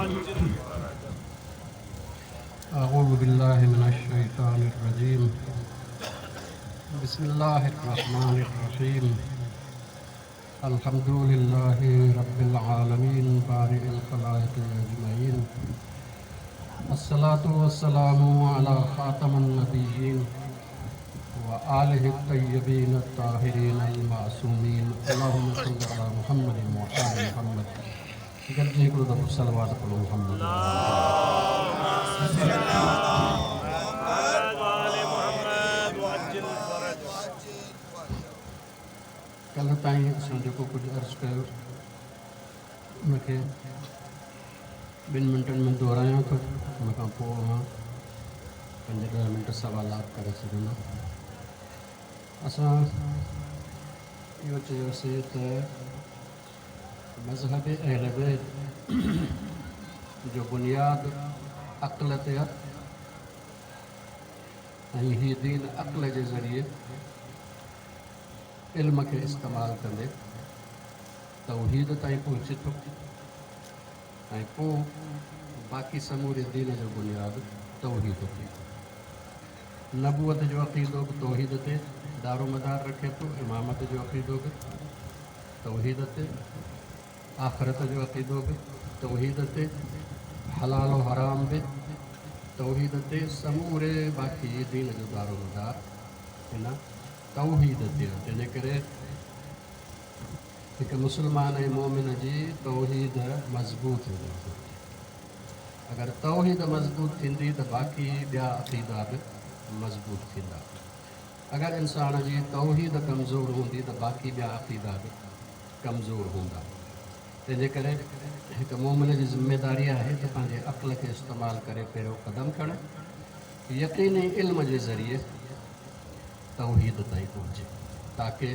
وعجل فرجه. أعوذ بالله من الشيطان الرجيم. بسم الله الرحمن الرحيم. الحمد لله رب العالمين بارئ الخلائق أجمعين. الصلاة والسلام على خاتم النبيين وآله الطيبين الطاهرين المعصومين. اللهم صل على محمد وآل محمد. گڏجي هڪڙو دفعو صلوات پڙهو محمد. محمد وآل محمد وعجل فرجه. ڪلهه تائين اسان جيڪو ڪجهه عرض ڪيو ان کي ٻن منٽن ۾ دهرايان ٿو. ان کان پوءِ اوهان 5-10 منٽ سوالات ڪري سگهندا. اسان اهو چيوسين ته مذهب اهل بيت جو بنياد عقل تي آهي ۽ هي دين عقل جي ذريعي علم کي استعمال ڪندي توحيد تائين پهچي ٿو ۽ پوءِ باقي سموري دين جو بنياد توحيد تي. نبوت جو عقيدو به توحيد تي دارو مدار رکي ٿو، امامت جو عقيدو به توحيد تي، آخرت جو عقيدو به توحيد تي، حلال و حرام به توحيد تي. سموري باقي دين جو دارو مدار هن توحيد تي آهي. تنهن جي ڪري هڪ مسلمان ۽ مومن جي توحيد مضبوط هجڻ گهرجي. اگر توحيد مضبوط ٿيندي ته باقي ٻيا عقيدا به مضبوط ٿيندا. اگر انسان جي توحيد ڪمزور هوندي ته باقي ٻيا عقيدا به ڪمزور هوندا. تنهن جي ڪري هڪ مومن جي ذميداري آهي ته پنهنجي عقل کي استعمال ڪري پهريون قدم کڻي، يقيني علم جي ذريعي توحيد تائين پهچي تاڪه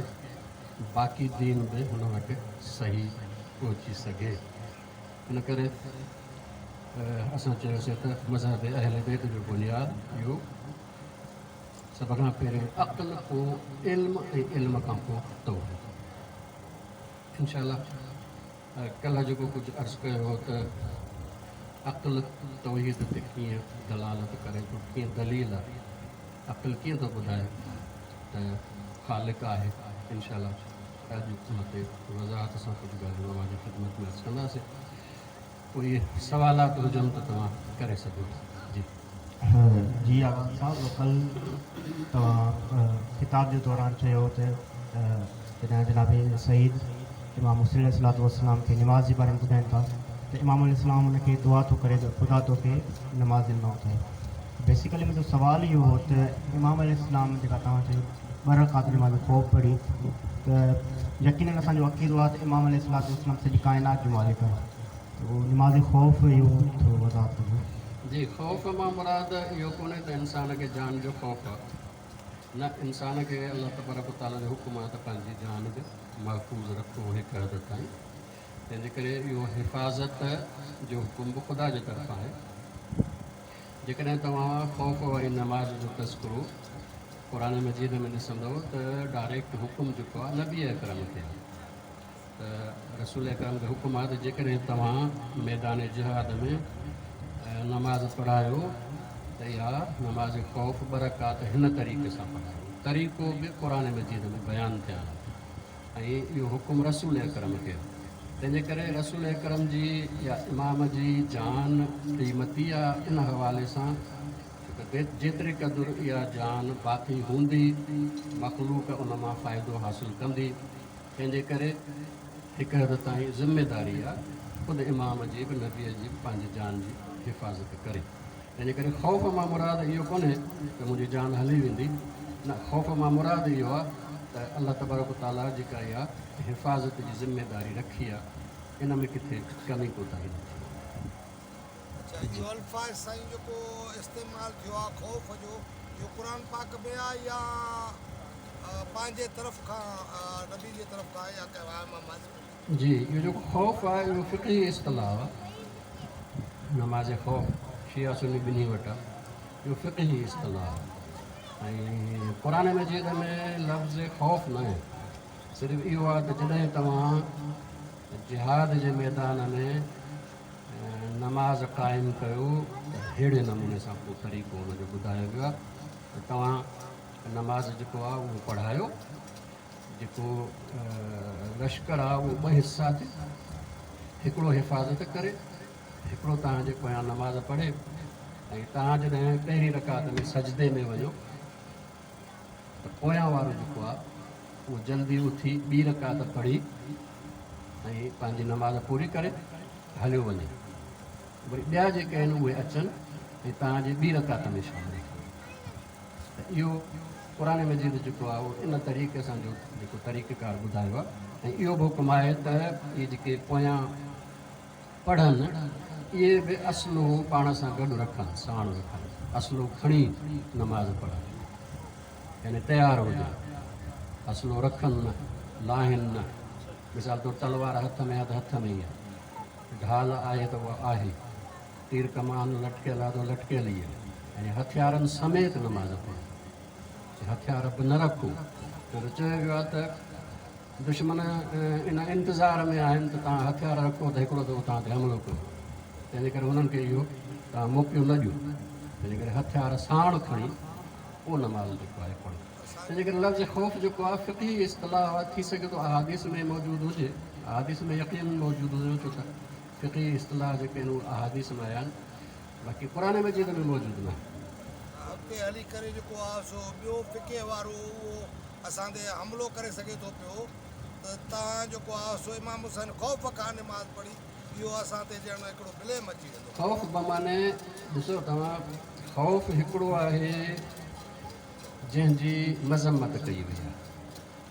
باقي دين به هن وٽ صحيح پهچي سگهي. ان ڪري اسان چيوسين ته مذهب اهل بيت جو بنياد اهو سڀ کان پهريون عقل، پوءِ علم ۽ علم کان پوءِ توحيد. انشا الله ڪلهه جيڪو ڪجهه عرض ڪيو هو ته عقل توحيد تي ڪيئن دلالت ڪري ٿو، ڪيئن دليل آهي، عقل ڪيئن ٿو ٻڌائي ته خالق آهي. انشا الله اڄ ان تي وضاحت سان ڪجهه ڳالهيون اوهان جي خدمت ۾ عرض ڪنداسين. ڪوئي سوالات هجن ته توهان ڪري سگهو ٿا. جي جي آغا صاحب، ڪل توهان خطاب جي دوران چيو ته جڏهن جناب سعيد امام حسين عليه الصلوة والسلام کي نماز جي باري ۾ ٻڌائين ٿا ته امام عليه السلام ان کي دعا ٿو ڪري ته خدا توکي نماز نه اٿائي. بيسيڪلي منهنجو سوال اهو هو ته امام عليه السلام جيڪا توهان چيو 2 رڪعت نماز خوف پڙهي ته يقينن اسان جو عقيدو آهي ته امام عليه الصلوة والسلام سڄي ڪائنات جو مالڪ آهي، ته اهو نماز خوف اهو ٿورو وضاحت ڪجو. جي، خوف مان مراد اهو ڪونهي ته انسان کي جان جو خوف آهي، نه، انسان کي الله تبارڪ و تعاليٰ جو حڪم آهي ته پنهنجي جان به محفوظ رکو هڪ حد تائين. تنهن جي ڪري اهو حفاظت جو حڪم به خدا جي طرفان آهي. جيڪڏهن توهان خوف واري نماز جو تذڪرو قرآن مجيد ۾ ڏسندؤ ته ڊائريڪٽ حڪم جيڪو آهي نبي اڪرم کي آهي، ته رسول اڪرم کي حڪم آهي ته جيڪڏهن توهان ميدان جهاد ۾ نماز پڙهايو ته اها نماز خوف 2 رڪعت هن طريقي سان پڙهايو. طريقو به قرآن مجيد ۾ بيان ٿيل آهي ۽ اهو حڪم رسول اڪرم کي آهي. تنهن جي ڪري رسول اڪرم جي يا امام جي جان قيمتي آهي ان حوالي سان، ڇو ته جيتري قدر اها جان باقي هوندي مخلوق ان مان فائدو حاصل ڪندي. تنهن جي ڪري هڪ حد تائين ذميداري آهي خود امام جي به، نبيء جي به پنهنجي جان جي حفاظت ڪري. تنهن جي ڪري خوف مان مراد اهو ڪونهي ته منهنجي جان هلي ويندي، نه، خوف مان مراد اهو آهي ته الله تبارڪ و تعاليٰ جيڪا اها حفاظت جي ذميداري رکي آهي ان ۾ ڪٿي ڪمي ڪوتاهي نه ٿئي. اڇا، اهو الفاظ سائين جيڪو استعمال ٿيو آهي خوف جو، اهو قرآن پاڪ ۾ آهي يا پنهنجي طرف کان، نبي جي طرف کان يا ڪنهن مان؟ جي، اهو جيڪو خوف آهي اهو فقهي اصطلاح آهي. نماز خوف شيعه سني ٻنهي وٽ آهي، اهو فقهي اصطلاح آهي ۽ قرآن مجيد ۾ لفظ خوف نه آهي. صرف اهو آهي ته جڏهن توهان جهاد جي ميدان ۾ نماز قائم ڪيو ته ههڙي نموني سان پوء طريقو ان جو ٻڌايو ويو آهي ته توهان نماز جيڪو آهي اهو پڙهايو، جيڪو لشڪر آهي اهو ٻه حصا ٿئي، هڪڙو حفاظت ڪري، هڪڙو توهان جي پويان نماز پڙهي ۽ توهان جڏهن پهرين رڪعت ۾ سجدي ۾ وڃو ته پويان وارو جيڪو آهي اهو جلدي اٿي ٻي رڪعت پڙهي ۽ پنهنجي نماز پوري ڪري هليو وڃي. وري ٻيا جيڪي آهن اهي اچن ۽ توهان جي ٻي رڪعت ۾ شامل ٿين. ته اهو قرآن مجيد جيڪو آهي اهو ان طريقي سان جو جيڪو طريقيڪار ٻڌايو آهي ۽ اهو به حڪم آهي ته اهي جيڪي پويان پڙهن اهي به اصلو پاڻ سان گڏ رکن، ساڻ رکن، اصلو کڻي نماز پڙهن، يعني تيار هجن، اصلو رکن نه، لاهن نه. مثال طور تلوار هٿ ۾ آهي ته هٿ ۾ ئي آهي، ڍال آهي ته اها آهي، تير ڪمان لٽڪيل آهي ته لٽڪيل ئي آهي، يعني هٿيارن سميت نماز پڙهو، هٿيار به نه رکو، ڇو ته چيو ويو آهي ته دشمن ان انتظار ۾ آهن ته توهان هٿيار رکو ته هڪڙو دفعو توهان تي حملو ڪيو، تنهنجي ڪري انهن کي اهو توهان موقعو نه ڏيو، تنهنجي ڪري هٿيار ساڻ کڻي پوء نماز جيڪو آهي پڙهو. تنهنجي ڪري لفظ خوف جيڪو آهي فقهي اصطلاح آهي، ٿي سگهي ٿو احاديث ۾ موجود هجي، احاديث ۾ يقينن موجود هجي ڇو ته فقهي اصطلاح جيڪي آهن اهي احاديث ۾ آيا آهن، باقي قرآن مجيد ۾ موجود ناهي. اڳتي هلي ڪري جيڪو آهي سو ٻيو فقهي وارو اهو اسان تي حملو ڪري سگهي ٿو پيو ته توهان جيڪو آهي سو امام حسين خوف کان نماز پڙهي اهو اسان تي ڄڻ هڪڙو بليم اچي ويندو. خوف بمعني ڏسو توهان خوف هڪڙو آهي جنهن جي مذمت ڪئي وئي آهي،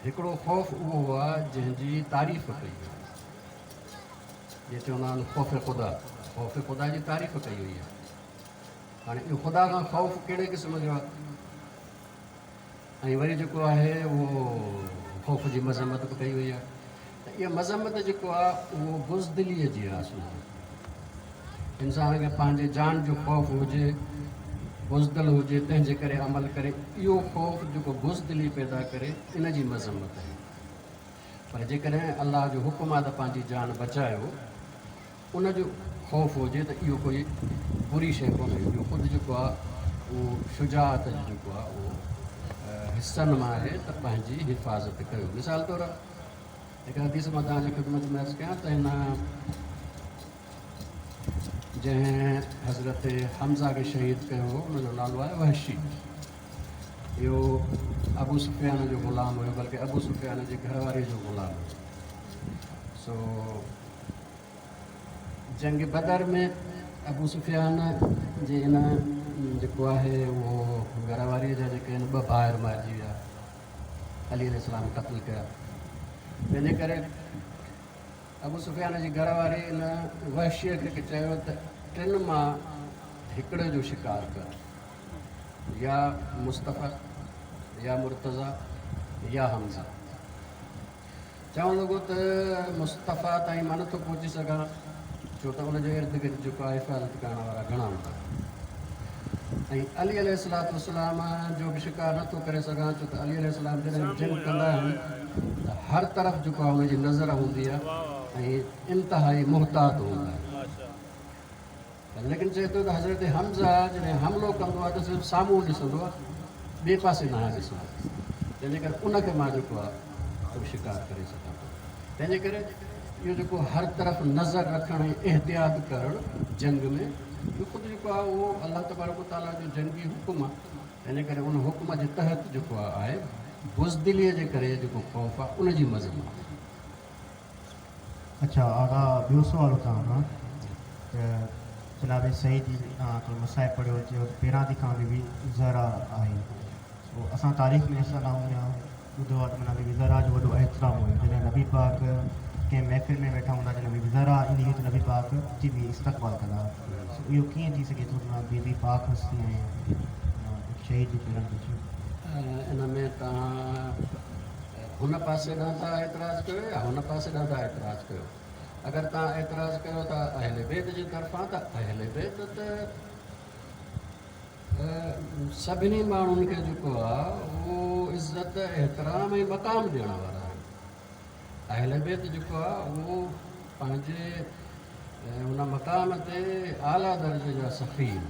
هڪڙو خوف اهو آهي جنهن جي تعريف ڪئي وئي آهي. جيئن چوندا آهن خوف خدا، خوف خدا جي تعريف ڪئي وئي آهي. هاڻي اهو خدا کان خوف ڪهڙي قسم جو آهي؟ ۽ وري جيڪو آهي اهو خوف جي مذمت به ڪئي وئي آهي ته اها مذمت جيڪو آهي اهو بزدليء جي آهي. اصل ۾ انسان کي پنهنجي جان جو خوف هجي، بزدل هجي، تنهن جي ڪري عمل ڪري، اهو خوف جيڪو بزدلي پيدا ڪري ان جي مذمت آهي. پر جيڪڏهن الله جو حڪم آهي ته پنهنجي جان بچايو، ان جو خوف هجي ته اهو ڪوئي بري شيء ڪونهي. اهو خود جيڪو آهي اهو شجاعت جو جيڪو آهي اهو حصن مان آهي ته پنهنجي حفاظت ڪيو. مثال طور هڪ حديث مان توهان جي خدمت ۾ عرض ڪيان ته هن جنهن حضرت حمزه کي شهيد ڪيو هو ان جو نالو آهي وحشي. اهو ابو سفيان جو غلام هيو، بلڪه ابو سفيان جي گهر واري جو غلام هيو. سو جنگ بدر ۾ ابو سفيان جي ان جيڪو آهي اهو گهر واري جا جيڪي آهن ٻه ڀائر مارجي ويا، علي عليه السلام قتل ڪيا. تنهنجي ڪري ابو سفيان جي گهر واري ان وحشيء کي چيو ته ٽن مان هڪڙي جو شڪار ڪر، يا مصطفيٰ يا مرتضيٰ يا حمزه. چوڻ لڳو ته مصطفيٰ تائين مان نٿو پهچي سگهان، ڇو ته ان جي ارد گرد جيڪو آهي حفاظت ڪرڻ وارا گهڻا هوندا ۽ علي عليه الصلوة والسلام جو به شڪار نٿو ڪري سگهان، ڇو ته علي عليه السلام جڏهن به جنگ ڪندا آهن ته هر طرف جيڪو آهي ان جي نظر هوندي آهي ۽ انتهائي محتاط هوندا آهن. ليڪن چئي ٿو ته حضرت حمزه جڏهن حملو ڪندو آهي ته صرف سامهون ڏسندو آهي، ٻئي پاسي ناهي ڏسندو، تنهنجي ڪري ان کي مان جيڪو آهي سو شڪار ڪري سگهان ٿو. تنهنجي ڪري اهو جيڪو هر طرف نظر رکڻ ۽ احتياط ڪرڻ جنگ ۾ اهو خود جيڪو آهي اهو الله تبارڪ و تعاليٰ جو جنگي حڪم آهي، تنهنجي ڪري ان حڪم جي تحت جيڪو آهي بزدليء جي ڪري جيڪو خوف آهي ان جي مذمت آهي. اڇا آغا ٻيو سوال اتان کان ته جناب سعيد جي توهان ٿورو مصائب پڙهيو چيو ته پيراندي کان بي بي زهرا آهي سو اسان تاريخ ۾ ڏسندا آهيون يا ٻڌو آهي ته معنيٰ بي بي زهرا جو وڏو احترام هيو جڏهن نبي پاڪ ڪنهن محفل ۾ ويٺا هوندا جڏهن بي بي زهرا ايندي هئي ته نبي پاڪ اٿي بيهي استقبال ڪندا هئا سو اهو ڪيئن ٿي سگهي ٿو ته معنيٰ بي بي پاڪ هستي ۽ هڪ شهيد جي پيرن تي اچي ان ۾ توهان هن پاسي ڏانهن ٿا اعتراض ڪيو يا هن پاسي ڏانهن ٿا اعتراض ڪيو؟ اگر توهان اعتراض ڪيو ٿا اهل بيت جي طرفان ته اهل بيت ته سڀني ماڻهن کي جيڪو آهي اهو عزت احترام ۽ مقام ڏيڻ وارا آهن. اهل بيت جيڪو آهي اهو پنهنجي ۽ ان مقام تي اعليٰ درجي جا سخي آهن،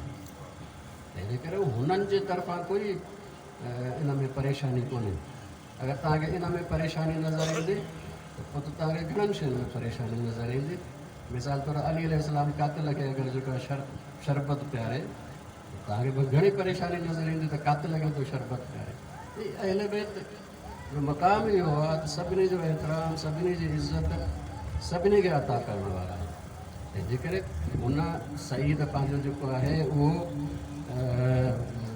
تنهنجي ڪري هنن جي طرفان ڪوئي ان ۾ پريشاني ڪونهي. اگر توهان کي ان ۾ پريشاني نظر ايندي ته پوء ته توهان کي گهڻن شين ۾ پريشاني نظر ايندي. مثال طور علي عليه السلام قاتل کي اگر جيڪو آهي شربت پياري ته توهان کي به گهڻي پريشاني نظر ايندي ته قاتل کي ٿو شربت پياري. هي اهل بيت جو مقام اهو آهي ته سڀني جو احترام، سڀني جي عزت، سڀني کي عطا ڪرڻ وارا آهن. تنهن جي ڪري هن سعيد پنهنجو جيڪو آهي اهو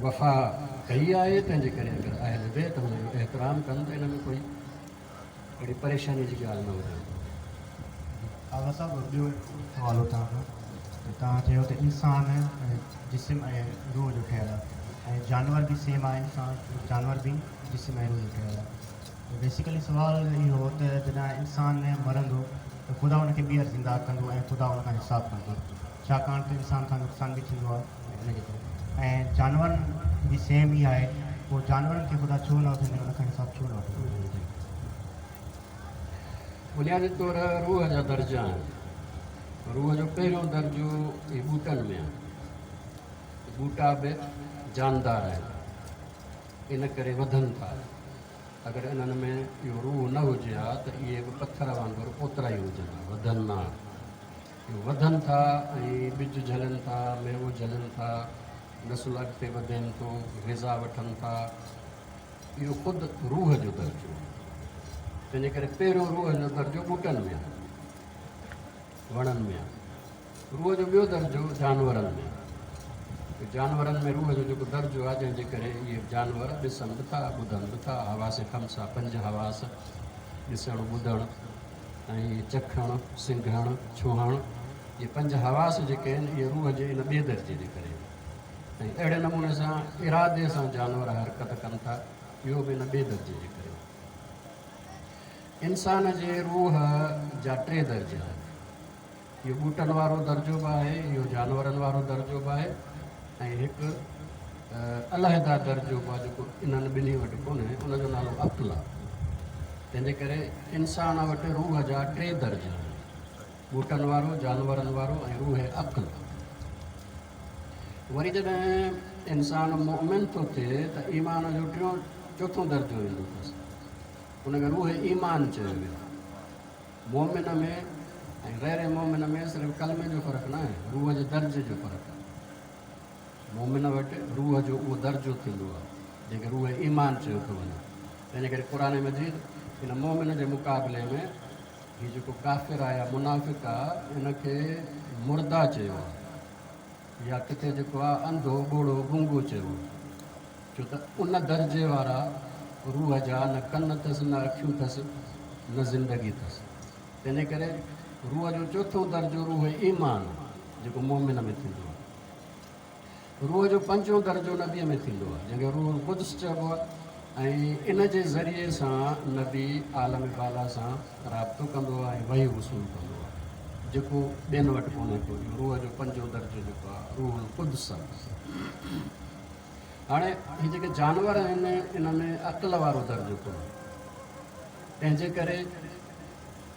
وفا ڪئي آهي، تنهن جي ڪري اگر اهل بيت هن جو احترام ڪن ته ان ۾ ڪوئي اهڙي پريشاني جي ڳالهه نه هجڻ گهرجي. آغا صاحب ٻيو هڪ سوال هو توهان کان ته توهان چيو ته انسان جسم ۽ روح جو ٺهيل آهي ۽ جانور به سيم آهي، انسان جانور به جسم ۽ روح جو ٺهيل آهي. ته بيسيڪلي سوال اهو هو ته جڏهن انسان مرندو ته خدا ان کي ٻيهر زنده ڪندو ۽ خدا ان کان حساب ڪندو، ڇاڪاڻ ته انسان کان نقصان به ٿيندو آهي ان جي ڪري ۽ جانورن به سيم ئي آهي، پوء جانورن کي خدا ڇو نه اٿندي ان کان حساب ڇو نه وٺندو؟ بنيادي طور روح جا درجا آهن. روح جو پهريون درجو هي ٻوٽن ۾ آهي. ٻوٽا به جاندار آهن، ان ڪري وڌن ٿا. اگر انهن ۾ اهو روح نه هجي ها ته اهي به پٿر وانگر اوترا ئي هجن ها، وڌن نه ها. اهي وڌن ٿا ۽ ٻج جهلن ٿا، ميوو جهلن ٿا، نسل اڳتي وڌين ٿو، غذا وٺن ٿا. اهو خود روح جو درجو آهي. تنهنجي ڪري پهريون روح جو درجو ٻوٽن ۾ آهي، وڻن ۾ آهي. روح جو ٻيو درجو جانورن ۾ آهي. جانورن ۾ روح جو جيڪو درجو آهي، جنهن جي ڪري اهي جانور ڏسن به ٿا، ٻڌن به ٿا، حواس خمسه، پنج حواس، ڏسڻ، ٻڌڻ ۽ چکڻ، سنگهڻ، ڇهڻ، اهي پنج حواس جيڪي آهن اهي روح جي ان ٻئي درجي جي ڪري آهن. ۽ اهڙي نموني سان ارادي سان جانور حرڪت ڪن ٿا، اهو به ان ٻئي درجي جي ڪري آهي. انسان جي روح جا ٽي درجا آهن. اهو ٻوٽن وارو درجو به آهي، اهو جانورن وارو درجو به آهي ۽ هڪ علحده درجو به آهي جيڪو انهن ٻنهي وٽ ڪونهي، ان جو نالو عقل آهي. تنهن جي ڪري انسان وٽ روح جا ٽي درجا آهن، ٻوٽن وارو، جانورن وارو ۽ روح عقل. وري جڏهن انسان مؤمن ٿو ٿئي ته ايمان جو ٽيون چوٿون درجو ايندو اٿس، ان کي روح ايمان چيو ويو آهي. مؤمن ۾ ۽ غير مؤمن ۾ صرف ڪلمي جو فرق نه آهي، روح جي درجي جو فرق آهي. مؤمن وٽ روح جو اهو درجو ٿيندو آهي، جنهن کي روح ايمان چيو ٿو وڃي. تنهنجي ڪري قرآن مجيد ان مؤمن جي مقابلي ۾ هي جيڪو ڪافر آهي يا منافق آهي، ان کي مرده چيو آهي يا ڪٿي جيڪو آهي انڌو، ٻوڙو، گونگو چيو آهي. ڇو ته ان درجي وارا روح جا نه ڪن اٿس، نه اکيون اٿس، نه زندگي اٿس. تنهنجي ڪري روح جو چوٿون درجو روح ايمان آهي، جيڪو مؤمن ۾ ٿيندو آهي. روح جو پنجون درجو نبيء ۾ ٿيندو آهي، جنهن کي روح القدس چئبو آهي ۽ ان جي ذريعي سان نبي عالم بالا سان رابطو ڪندو آهي ۽ وحي وصول ڪندو آهي، جيڪو ٻين وٽ ڪونهي ڪو. اهو روح جو پنجون درجو جيڪو آهي روح القدس آهي. هاڻي هي جيڪي جانور آهن ان ۾ عقل وارو درجو ڪونهي، تنهن جي ڪري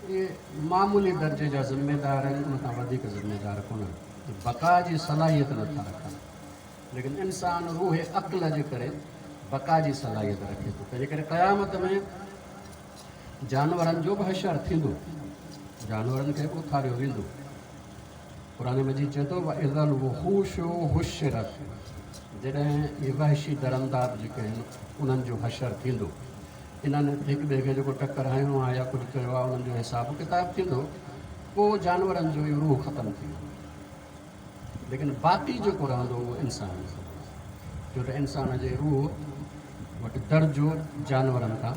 اهي معمولي درجي جا ذميدار آهن، ان کان وڌيڪ ذميدار ڪونهن، بقا جي صلاحيت نٿا رکن. ليڪن انسان روح عقل جي ڪري بقا جي صلاحيت رکي ٿو، تنهن جي ڪري قيامت ۾ جانورن جو به حشر ٿيندو، جانورن کي به اٿاريو ويندو. قرآن مجيد چئي ٿو واذا الوحوش حشرت، جڏهن اهي وحشي درندا به جيڪي آهن انهن جو حشر ٿيندو، انهن هڪ ٻئي کي جيڪو ٽڪر هنيو آهي يا ڪجهه ڪيو آهي انهن جو حساب ڪتاب ٿيندو، پوء جانورن جو اهو روح ختم ٿي ويندو، ليڪن باقي جيڪو رهندو اهو انسان رهندو، ڇو ته انسان جي روح وٽ درجو جانورن کان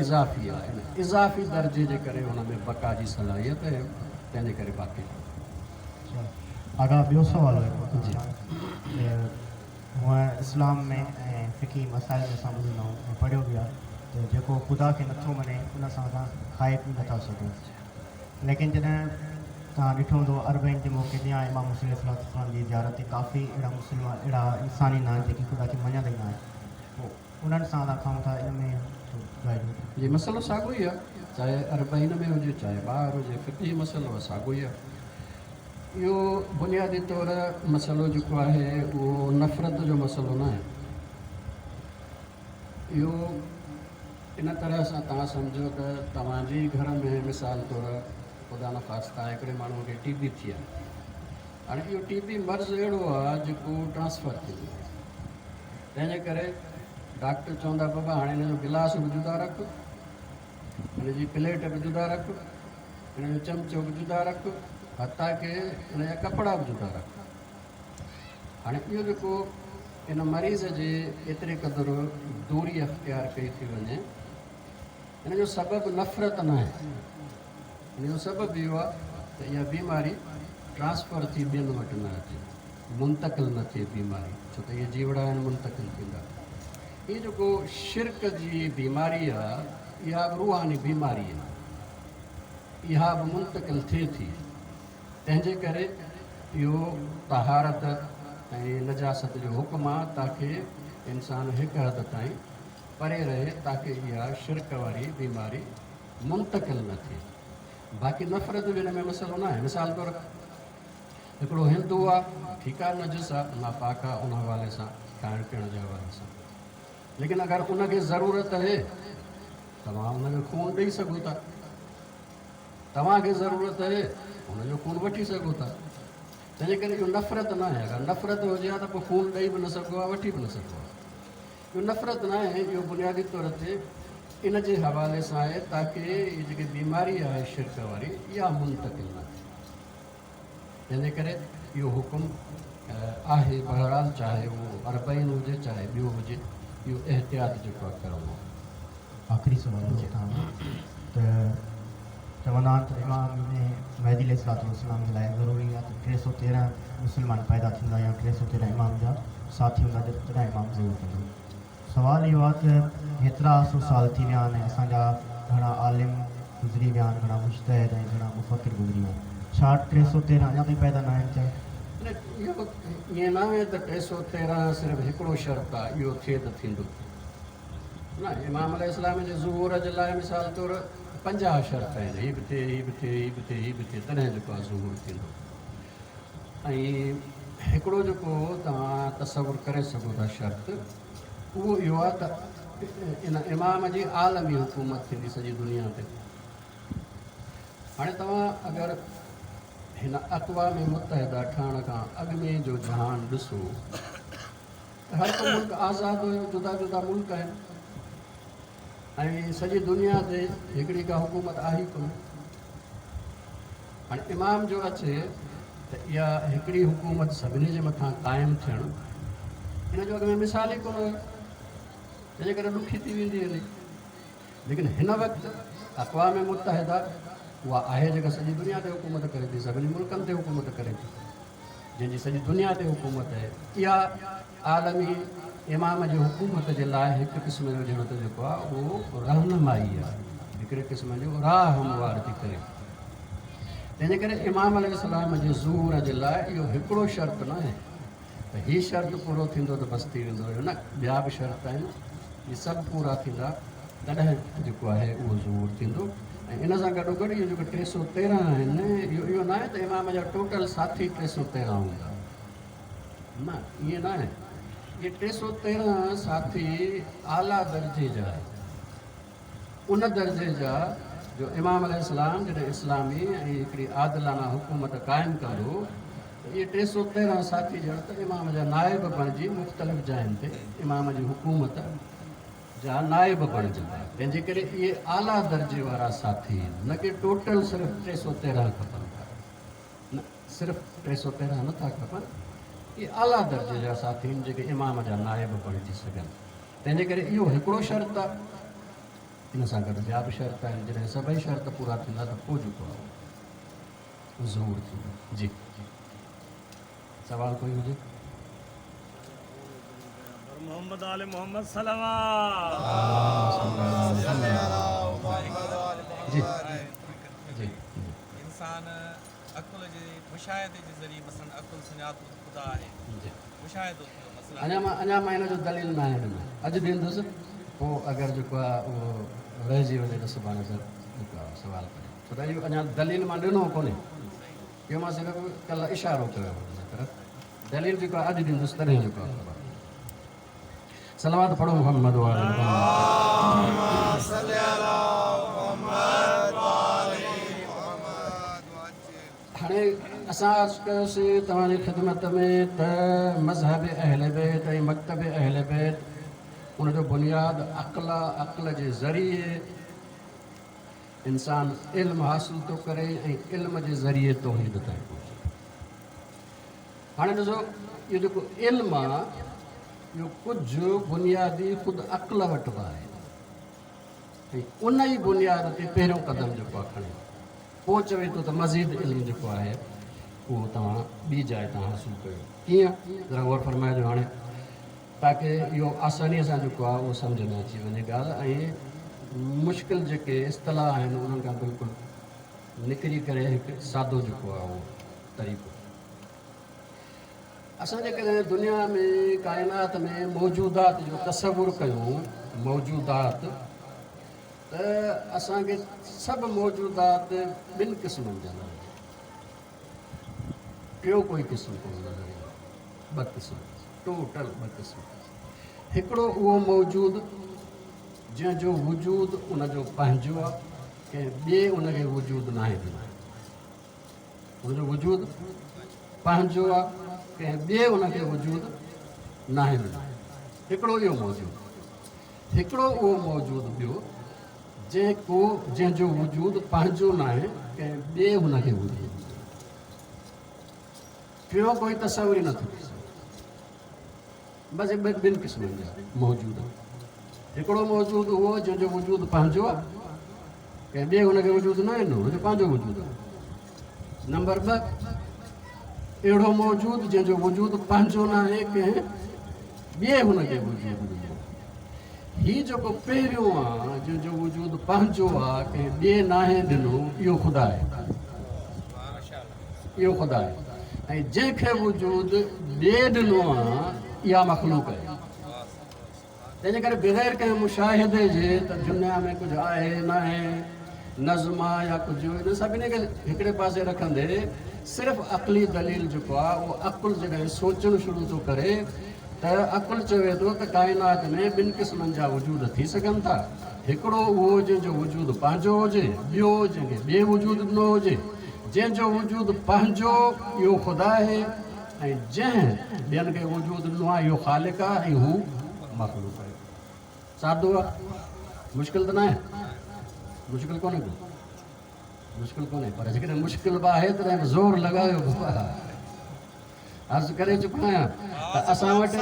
اضافي آهي، ان اضافي درجي جي ڪري هن ۾ بقا جي صلاحيت آهي، تنهن جي ڪري باقي رهندو. اچا آغا ٻيو سوال هيو جي. ته هونء اسلام ۾ ۽ فقهي مسائل ۾ اسان ٻڌندا آهيون ۽ پڙهيو به آهي ته جيڪو خدا کي نٿو مڃي ان سان اسان کائي پي نٿا سگهون، ليڪن جڏهن توهان ڏٺو هوندو اربعين جي موقعي تي يا امام حسين عليه الصلوة والسلام جي زيارت تي ڪافي اهڙا مسلمان اهڙا انسان ايندا آهن جيڪي خدا کي مڃندا ئي نه آهن، پوء انهن سان اسان کائون ٿا ان ۾ ٻڌائجو. جي مسئلو ساڳيو ئي آهي، چاهي اربعين ۾ هجي چاهي ٻاهر هجي، فقهي مسئلو آهي ساڳيو ئي آهي. اهو بنيادي طور مسئلو جيڪو آهي اهو نفرت جو مسئلو نه آهي. اهو ان طرح سان توهان سمجهو ته توهان جي ئي گهر ۾ مثال طور خدا نخواسته هڪڙي ماڻهوء کي ٽي بي ٿي آهي. هاڻي اهو ٽي بي مرض اهڙو آهي جيڪو ٽرانسفر ٿيندو آهي. تنهن جي ڪري ڊاڪٽر چوندا بابا هاڻي هن جو گلاس به جدا رک، هن جي پليٽ به جدا رک، هن جو چمچو به جدا رک، حتيٰ ڪه هن جا ڪپڙا به جدا رک. هاڻي اهو جيڪو ان مريض جي ايتري قدر دوري اختيار ڪئي ٿي وڃي، ان جو سبب نفرت ناهي. ان جو سبب اهو آهي ته اها بيماري ٽرانسفر ٿي ٻين وٽ نه اچي، منتقل نه ٿئي بيماري، ڇو ته اهي جيوڙا آهن منتقل ٿيندا. هي جيڪو شرڪ جي بيماري آهي، اها به روحاني بيماري آهي، اها به منتقل ٿئي ٿي. تنهن جي ڪري اهو طهارت ۽ نجاست جو حڪم آ تاڪه انسان هڪ حد تائين پري رهي تاڪه اها شرڪ واري بيماري منتقل نه ٿئي. باقي نفرت جو ان ۾ مسئلو ناهي. مثال طور هڪڙو هندو آ ٺيڪ آ نجس آ ناپاڪ آ ان حوالي سان کائڻ پيئڻ جي حوالي سان ليڪن اگر ان کي ضرورت اهي توهان ان کي خون ڏئي سگهو ٿا. توهان کي ضرورت اهي ان جو خون وٺي سگهو ٿا. تنهنجي ڪري اهو نفرت ناهي. اگر نفرت هجي ها ته پوء خون ڏئي به نه سگهبو ها وٺي به نه سگهبو ها. اهو نفرت ناهي، اهو بنيادي طور تي ان جي حوالي سان آهي تاڪه هي جيڪي بيماري آهي شرڪ واري اها منتقل نه ٿئي. تنهنجي ڪري اهو حڪم آهي بهرحال چاهي اهو اربعين هجي چاهي ٻيو هجي اهو احتياط جيڪو آهي ڪرڻو آهي. آخري سوال آهي توهان کان ته چوندا آهن ته امام مهدي عليه الصلوة والسلام جي لاء ضروري آهي ته 313 مسلمان پيدا ٿيندا يا 313 امام جا ساٿي هوندا تڏهن امام ظهور ڪندو. سوال اهو آهي ته هيترا سو سال ٿي ويا آهن ۽ اسان جا گهڻا عالم گذري ويا آهن، گهڻا مجتهد ۽ گهڻا مفڪر گذري ويا آهن، ڇا 313 اڃا تائين پيدا ناهن ٿيا؟ نه، اهو ائين ناهي ته 313 صرف هڪڙو شرط آهي، اهو ٿئي ته ٿيندو. نه، امام عليه السلام جي ظهور جي لاء مثال طور 50 شرط آهن، هي به ٿئي، هي به ٿئي، هي به ٿئي، هي به ٿئي، تڏهن جيڪو آهي ظهور ٿيندو. ۽ هڪڙو جيڪو توهان تصور ڪري سگهو ٿا شرط، اهو اهو آهي ته ان امام جي عالمي حڪومت ٿيندي سڄي دنيا تي. هاڻي توهان اگر هن اقوام متحده ٺهڻ کان اڳ ۾ جو جهان ڏسو ته هر ڪو ملڪ آزاد هيو، جدا جدا ملڪ آهن ۽ سڄي دنيا تي هڪڙي ڪا حڪومت آهي ئي ڪونه. هاڻي امام جو اچي ته اها هڪڙي حڪومت سڀني جي مٿان قائم ٿيڻ ان جو اڳ ۾ مثال ئي ڪونه هيو، تنهنجي ڪري ڏکي ٿي ويندي هلي. ليڪن هن وقت اقوام متحده اها آهي جيڪا سڄي دنيا تي حڪومت ڪري ٿي، سڀني ملڪن تي حڪومت ڪري ٿي، جنهن جي سڄي دنيا تي حڪومت آهي. اها عالمي امام جي حڪومت جي لاء هڪ قسم جو ڄڻ ته جيڪو آهي اهو رهنمائي آهي، هڪڙي قسم جو راهه هموار ٿي ڪري. تنهنجي ڪري امام عليه السلام جي ظهور جي لاء اهو هڪڙو شرط نه آهي ته هي شرط پورو ٿيندو ته بس ٿي ويندو، اهو نه، ٻيا به شرط آهن، اهي سڀ پورا ٿيندا تڏهن جيڪو آهي اهو ظهور ٿيندو. ۽ ان سان گڏوگڏ اهي جيڪي 313 آهن، اهو اهو نه آهي ته امام جا ٽوٽل ساٿي 313 هوندا، نه، ائين نه آهي. اهي 313 ساٿي اعليٰ درجي جا آهن، ان درجي جا جو امام عليه السلام جڏهن اسلامي ۽ هڪڙي عادلانه حڪومت قائم ڪندو ته اهي 313 ساٿي ڄڻ ته امام جا نائب بڻجي مختلف جاين تي امام جي حڪومت جا نائب بڻجندا. تنهن جي ڪري اهي اعليٰ درجي وارا ساٿي آهن، نه ڪي ٽوٽل صرف 313 کپن ٿا. نه، صرف 313 نه ٿا کپن، اهي اعليٰ درجي جا ساٿي آهن جيڪي امام جا نائب بڻجي سگهن. تنهن جي ڪري اهو هڪڙو شرط آهي، ان سان گڏ ٻيا به شرط آهن، جڏهن سڀئي شرط پورا ٿيندا ته پوء جيڪو آهي اهو ظهور ٿيندو. جي سوال ڪوئي هجي؟ محمد آل محمد صلوات. جي جي. انسان عقل جي مشاهدي جي ذريعي مثلاً عقل سڃاتو ته خدا آهي، مشاهدو ٿيو مثلاً. اڃا مان ان جو دليل ناهي ڏنو، اڄ ڏيندس، پوء اگر جيڪو آهي اهو رهجي وڃي ته سڀاڻي سر جيڪو آهي سوال ڪريو، ڇو ته اهو اڃا دليل مان ڏنو ڪونهي. اهو مان صرف ڪلهه اشارو ڪيو هو ان طرف. دليل جيڪو آهي اڄ ڏيندس تڏهن جيڪو آهي خبر. صلوات پڙهو محمد وآل محمد. هاڻي اسان عرض ڪيوسين توهان جي خدمت ۾ ته مذهب اهل بيت ۽ مڪتب اهل بيت ان جو بنياد عقل آ، عقل جي ذريعي انسان علم حاصل ٿو ڪري ۽ علم جي ذريعي توحيد تائين پهچي ٿو. هاڻي ڏسو اهو جيڪو علم آ اهو ڪجهه بنيادي خود عقل وٽ به آهي ۽ ان ئي بنياد تي پهريون قدم جيڪو آ کڻي پوء چوي ٿو ته مزيد علم جيڪو آهي اهو توهان ٻي جاء تان حاصل ڪيو. ڪيئن؟ ذرا غور فرمائجو هاڻي تاڪه اهو آسانيء سان جيڪو آهي اهو سمجهه ۾ اچي وڃي ڳالهه ۽ مشڪل جيڪي اصطلاح آهن انهن کان بلڪل نڪري ڪري هڪ سادو جيڪو آهي اهو طريقو. اسان جيڪڏهن دنيا ۾ ڪائنات ۾ موجودات جو تصور ڪيون، موجودات، ته اسان کي سڀ موجودات ٻن قسمن جا نظر ايندا. ٽيون ڪوئي قسم ڪونه نظر ايندو. ٻه قسم، ٽوٽل ٻه قسم. هڪڙو اهو موجود جنهن جو وجود ان جو پنهنجو آهي، ڪنهن ٻئي ان کي وجود ناهي ڏنو. ان جو وجود پنهنجو آهي، ڪنهن ٻئي ان کي وجود ناهي ڏنو. هڪڙو اهو موجود. هڪڙو اهو موجود ٻيو جنهن ڪو جنهن جو وجود پنهنجو ناهي، ڪنهن ٻئي هن کي وجود ڏنو. ٽيون ڪوئي تصور ئي نٿو ٿي سگهي. بس اهي ٻن قسمن جا موجود آهن. هڪڙو موجود اهو جنهن جو وجود پنهنجو آهي، ڪنهن ٻئي هن کي وجود ناهي ڏنو، هن جو پنهنجو وجود آهي. نمبر 2 اهڙو موجود جنهن جو وجود پنهنجو ناهي، ڪنهن ٻئي هن کي وجود ڏنو. هي جيڪو پهريون آ جنهن جو وجود پنهنجو آ، ڪنهن ٻئي ناهي ڏنو، اهو خدا آهي. اهو خدا آهي ۽ جنهن کي وجود ٻئي ڏنو آ، اها مخلوق آهي. تنهن جي ڪري بغير ڪنهن مشاهدي جي ته دنيا ۾ ڪجهه آهي ناهي، نظم آ يا ڪجهه، انهن سڀني کي هڪڙي پاسي رکندي صرف عقلي دليل جيڪو آ اهو عقل جڏهن سوچڻ شروع ٿو ڪري ته عقل چوي ٿو ته ڪائنات ۾ ٻن قسمن جا وجود ٿي سگهن ٿا، هڪڙو اهو جنهن جو وجود پنهنجو هجي، ٻيو جنهن کي ٻئي وجود ڏنو هجي. جنهن جو وجود پنهنجو اهو خدا آهي ۽ جنهن ٻين کي وجود ڏنو آهي اهو خالق آهي ۽ هو مخلوق آهي. سادو آهي، مشڪل ته ناهي، مشڪل ڪونهي ڪو، مشڪل ڪونهي، پر جيڪڏهن مشڪل به آهي تڏهن به زور لڳايو بابا. عرض ڪري چڪو آهيان ته اسان وٽ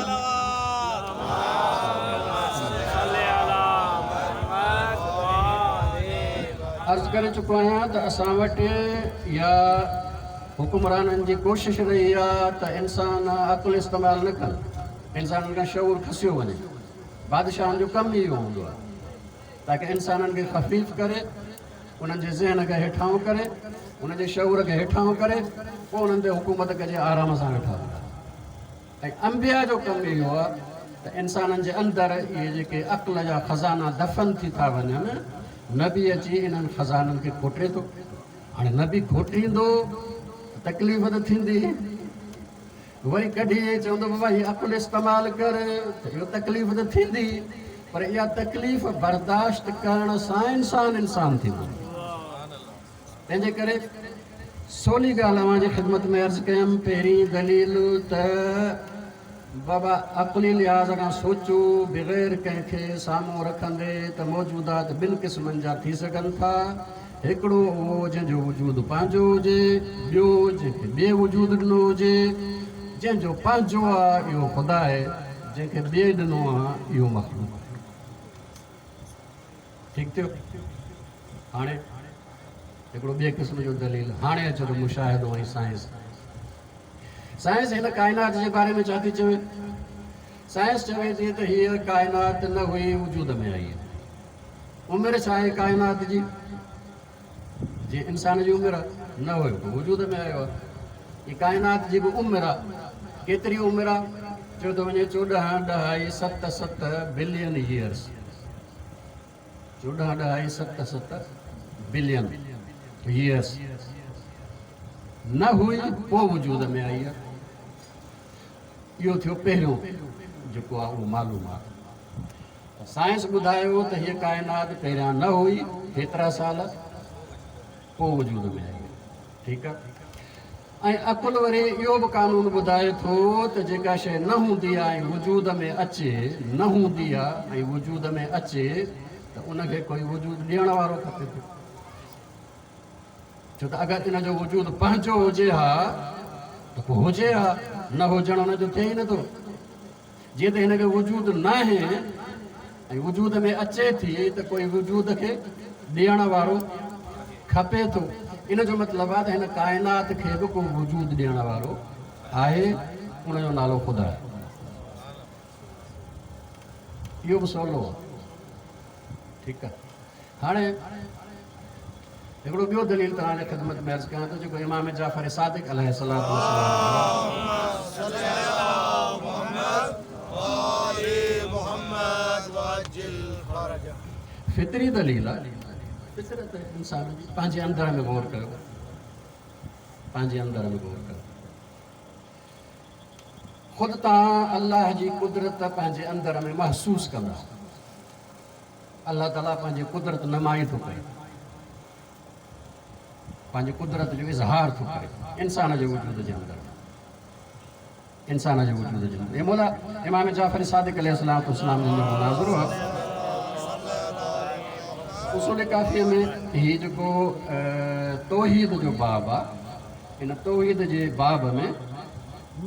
عرض ڪري چڪو آهيان ته اسان وٽ يا حڪمرانن جي ڪوشش رهي آهي ته انسان عقل استعمال نه ڪن، انسانن کان شعور کسيو وڃي. بادشاهن جو ڪم ئي اهو هوندو آهي تاڪه انسانن کي خفيف ڪري، انهن جي ذهن کي هيٺاهون ڪري، انهن جي شعور کي هيٺاهون ڪري، پوء انهن تي حڪومت ڪجي، آرام سان ويٺا هوندا. ۽ انبياء جو ڪم اهو آهي ته انسانن جي اندر اهي جيڪي عقل جا خزانا دفن ٿي ٿا وڃن، نبي اچي انهن خزانن کي کوٽي ٿو. هاڻي نبي کوٽيندو ته تڪليف ته ٿيندي. وري ڪڍي ۽ چوندو بابا هي عقل استعمال ڪر ته اهو تڪليف ته ٿيندي پر اها تڪليف برداشت ڪرڻ سان انسان انسان ٿيندو. تنهن جي ڪري سولي ڳالهه اوهان جي خدمت ۾ عرض ڪيم پهرين دليل ته بابا عقلي لحاظ کان سوچو بغير ڪنهن کي سامهون رکندي ته موجودات ٻن قسمن جا ٿي سگهن ٿا. هڪڙو اهو جنهن جو وجود پنهنجو هجي، ٻيو جنهن کي ٻئي وجود ڏنو هجي. جنهن جو پنهنجو آ اهو خدا آهي، جنهن کي ٻئي ڏنو آ اهو مخلوق آهي. ٺيڪ ٿيو؟ هاڻي هڪڙو ٻئي قسم جو دليل، هاڻي اچو ته مشاهدو ۽ سائنس. سائنس هن ڪائنات جي باري ۾ ڇا ٿي چوي؟ سائنس چوي ٿي ته هيء ڪائنات نه هئي وجود ۾ آئي. عمر ڇا آهي ڪائنات جي؟ جيئن انسان جي عمر آهي، نه هيو پوء وجود ۾ آيو آهي. هي ڪائنات جي به عمر آهي. ڪيتري عمر آهي؟ چيو ٿو وڃي چوڏهن ڏهائي ست ست بلين ييئرس. چوڏهن ڏهائي ست ست بلين ييئرس. نه هئي پوء وجود ۾ آئي آهي. اهو ٿيو پهريون جيڪو آهي اهو معلومات. ته سائنس ٻڌايو ته هيء ڪائنات پهريان نه هئي، هيترا سال پوء وجود ۾ آئي آهي. ٺيڪ آهي. ۽ عقل وري اهو به قانون ٻڌائي ٿو ته جيڪا شيء نه هوندي آهي ۽ وجود ۾ اچي، نه هوندي آهي ۽ وجود ۾ اچي ته ان کي ڪوئي وجود ڏيڻ وارو کپي ٿو. ڇو ته اگر ان جو وجود پنهنجو هجي ها ته پوء هجي ها، نه هجڻ ان جو ٿئي ئي نٿو. جيئن ته هن کي وجود ناهي ۽ وجود ۾ اچي ٿي ته ڪوئي وجود کي ڏيڻ وارو کپي ٿو. ان جو مطلب آهي ته هن ڪائنات کي به ڪو وجود ڏيڻ وارو آهي، ان جو نالو خدا آهي. اهو به سولو آهي. ٺيڪ آهي. هاڻي هڪڙو ٻيو دليل توهان جي خدمت ۾ عرض ڪيان ٿو جيڪو امام جعفر صادق عليه الصلوة والسلام فطري دليل آهي. فطرت انسان جي پنهنجي اندر ۾ غور ڪيو، پنهنجي اندر ۾ غور ڪيو، خود توهان الله جي قدرت پنهنجي اندر ۾ محسوس ڪندا. الله تعاليٰ پنهنجي قدرت نمائي ٿو ڪري، پنهنجي قدرت جو اظهار ٿو ڪري انسان جي وجود جي اندر، انسان جي وجود جي اندر. مولا امام جعفر صادق عليه الصلوة والسلام جن جو مناظرو آهي. اصول ڪافيء ۾ هي جيڪو توحيد جو باب آهي، ان توحيد جي باب ۾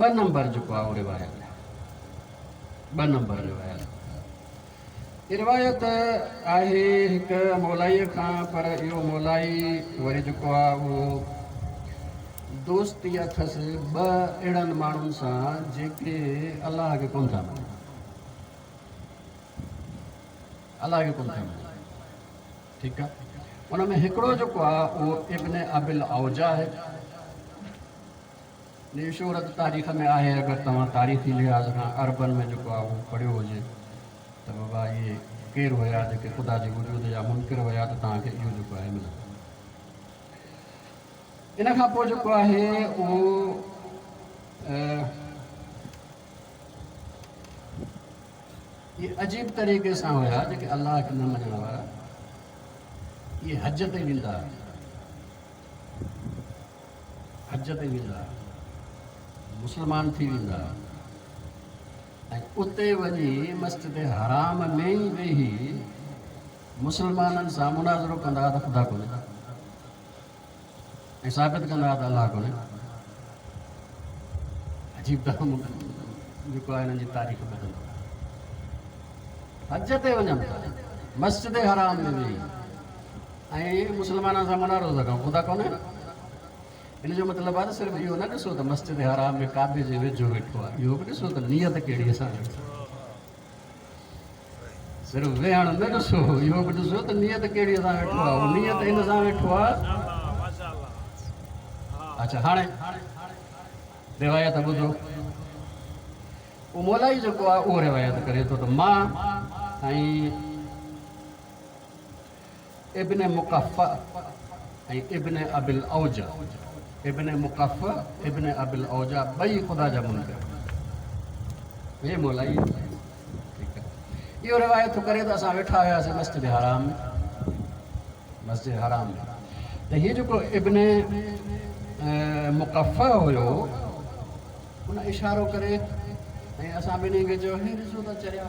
2 نمبر جيڪو آهي اهو روايت آهي، 2 نمبر روايت. هي روايت آهي هڪ مولائيء کان، پر اهو مولائي وري جيڪو آهي اهو دوستي اٿس ٻه اهڙن ماڻهن سان جيڪي الله کي ڪونه ٿا مڃن، الله کي ڪونه ٿا مڃن. ٺيڪ آهي. ان ۾ هڪڙو جيڪو آهي اهو ابن ابي الاوجا آهي. جي شهرت تاريخ ۾ آهي، اگر توهان تاريخي لحاظ کان عربن ۾ جيڪو آهي اهو پڙهيو هجي ته بابا اهي ڪير هيا جيڪي خدا جي وجود جا منڪر هيا ته توهان کي اهو جيڪو آهي ملندو. ان کان پوء جيڪو آهي اهو اهي عجيب طريقي سان هيا جيڪي الله کي نه مڃڻ وارا، اهي حج تي ويندا هيا، حج تي ويندا، مسلمان ٿي ويندا ۽ اتي وڃي مسجد حرام ۾ ئي ويهي مسلمانن سان مناظرو ڪندا ته خدا ڪونهي ۽ ثابت ڪندا ته الله ڪونهي. عجيب جيڪو آهي هنن جي تاريخ ٻڌندو. حج تي وڃن ٿا، مسجد حرام ۾ ويهي ۽ مسلمانن سان مناظرو ٿا ڪن، خدا ڪونهي. ان جو مطلب آهي ته صرف اهو نه ڏسو ته مسجد حرام ۾ ڪعبي جي ويجهو ويٺو آهي، اهو به ڏسو ته نيت ڪهڙي سان ويٺو آهي. صرف ويهڻ نه ڏسو، اهو به ڏسو ته نيت ڪهڙي سان ويٺو آهي. اهو نيت ان سان ويٺو آهي. اڇا هاڻي روايت ٻڌو. اهو مولائي جيڪو آهي اهو روايت ڪري ٿو ته مان ۽ ابن مقفع ۽ ابن ابي الاوجا، ابن مقفع ابن ابي الاوجا ٻئي خدا جا منڪر. هي مولائي ٺيڪ آهي. اهو روايت ٿو ڪري ته اسان ويٺا هياسين مسجد حرام ۾، مسجد حرام ۾ ته هي جيڪو ابن مقفع هيو ان اشارو ڪري ۽ اسان ٻنهي کي چيو هي ڏسو ته چريا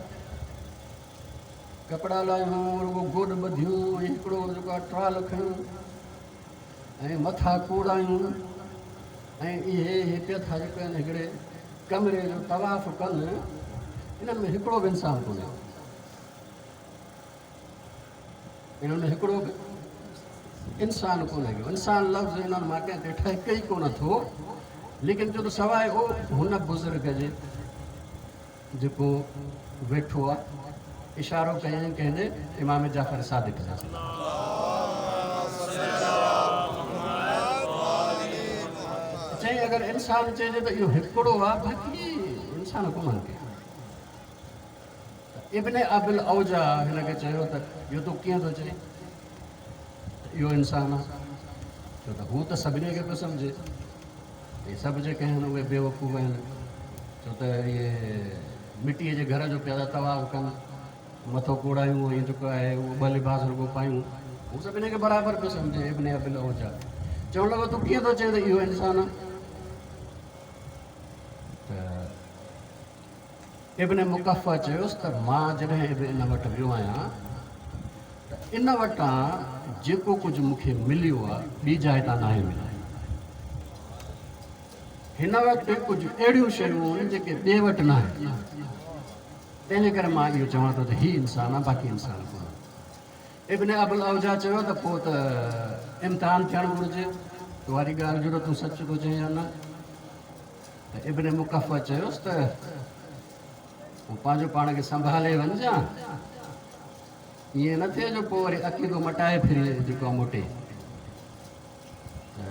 ڪپڙا لاهيون، رڳو گوڏ ٻڌيون ۽ هڪڙو جيڪو آهي ٽرال کنيون ۽ مٿا ڪوڙايون ۽ اهي هتي ٿا جيڪو آهن هڪڙي ڪمري جو طواف ڪن، انهن ۾ هڪڙو به انسان ڪونهي، انهن ۾ هڪڙو به انسان ڪونهي. انسان لفظ انهن مان ڪنهن تي ٺهڪي ئي ڪونه ٿو، ليڪن جو ته سواء او هن بزرگ جي جيڪو ويٺو آ. اشارو ڪيائين ڪنهن ڏي؟ امام جعفر صادق عليه السلام. چيائين اگر انسان چئجي ته اهو هڪڙو آ، باقي انسان ڪونهن ڪي. ته ابن ابي الاوجا هن کي چيو ته اهو تون ڪيئن ٿو چئين ته اهو انسان آ؟ ڇو ته هو ته سڀني کي پيو سمجهي. هي سڀ جيڪي آهن اهي بيوقوف آهن، ڇو ته اهي مٽيء جي گهر جو پيا ٿا طواف ڪن، مٿو ڪوڙايون ۽ جيڪو آهي اهو ٻه لباس رڳو پايون، هو سڀني کي برابر پيو سمجهي. ابن ابي العوجا چوڻ لڳو، تون ڪيئن ٿو چئين ته اهو انسان آهي؟ ته ابن مقفع چيس ته مان جڏهن به ان وٽ ويو آهيان ته ان وٽان جيڪو ڪجهه مون کي مليو آهي ٻي جاء تان ناهي مليو. هن وٽ ڪجهه اهڙيون شيون آهن جيڪي ٻئي وٽ ناهن، تنهن جي ڪري مان اهو چوان ٿو ته هي انسان آهي باقي انسان ڪونهي. ابن ابوالعوجا چيو ته پوء ته امتحان ٿيڻ گهرجي تو واري ڳالهه جو ته تون سچ ٿو چئين يا نه. ته ابن مقفع چيس ته پوء پنهنجو پاڻ کي سنڀالي وڃجان، ائين نه ٿئي جو پوء وري عقيدو مٽائي ڦري جيڪو آهي موٽي. ته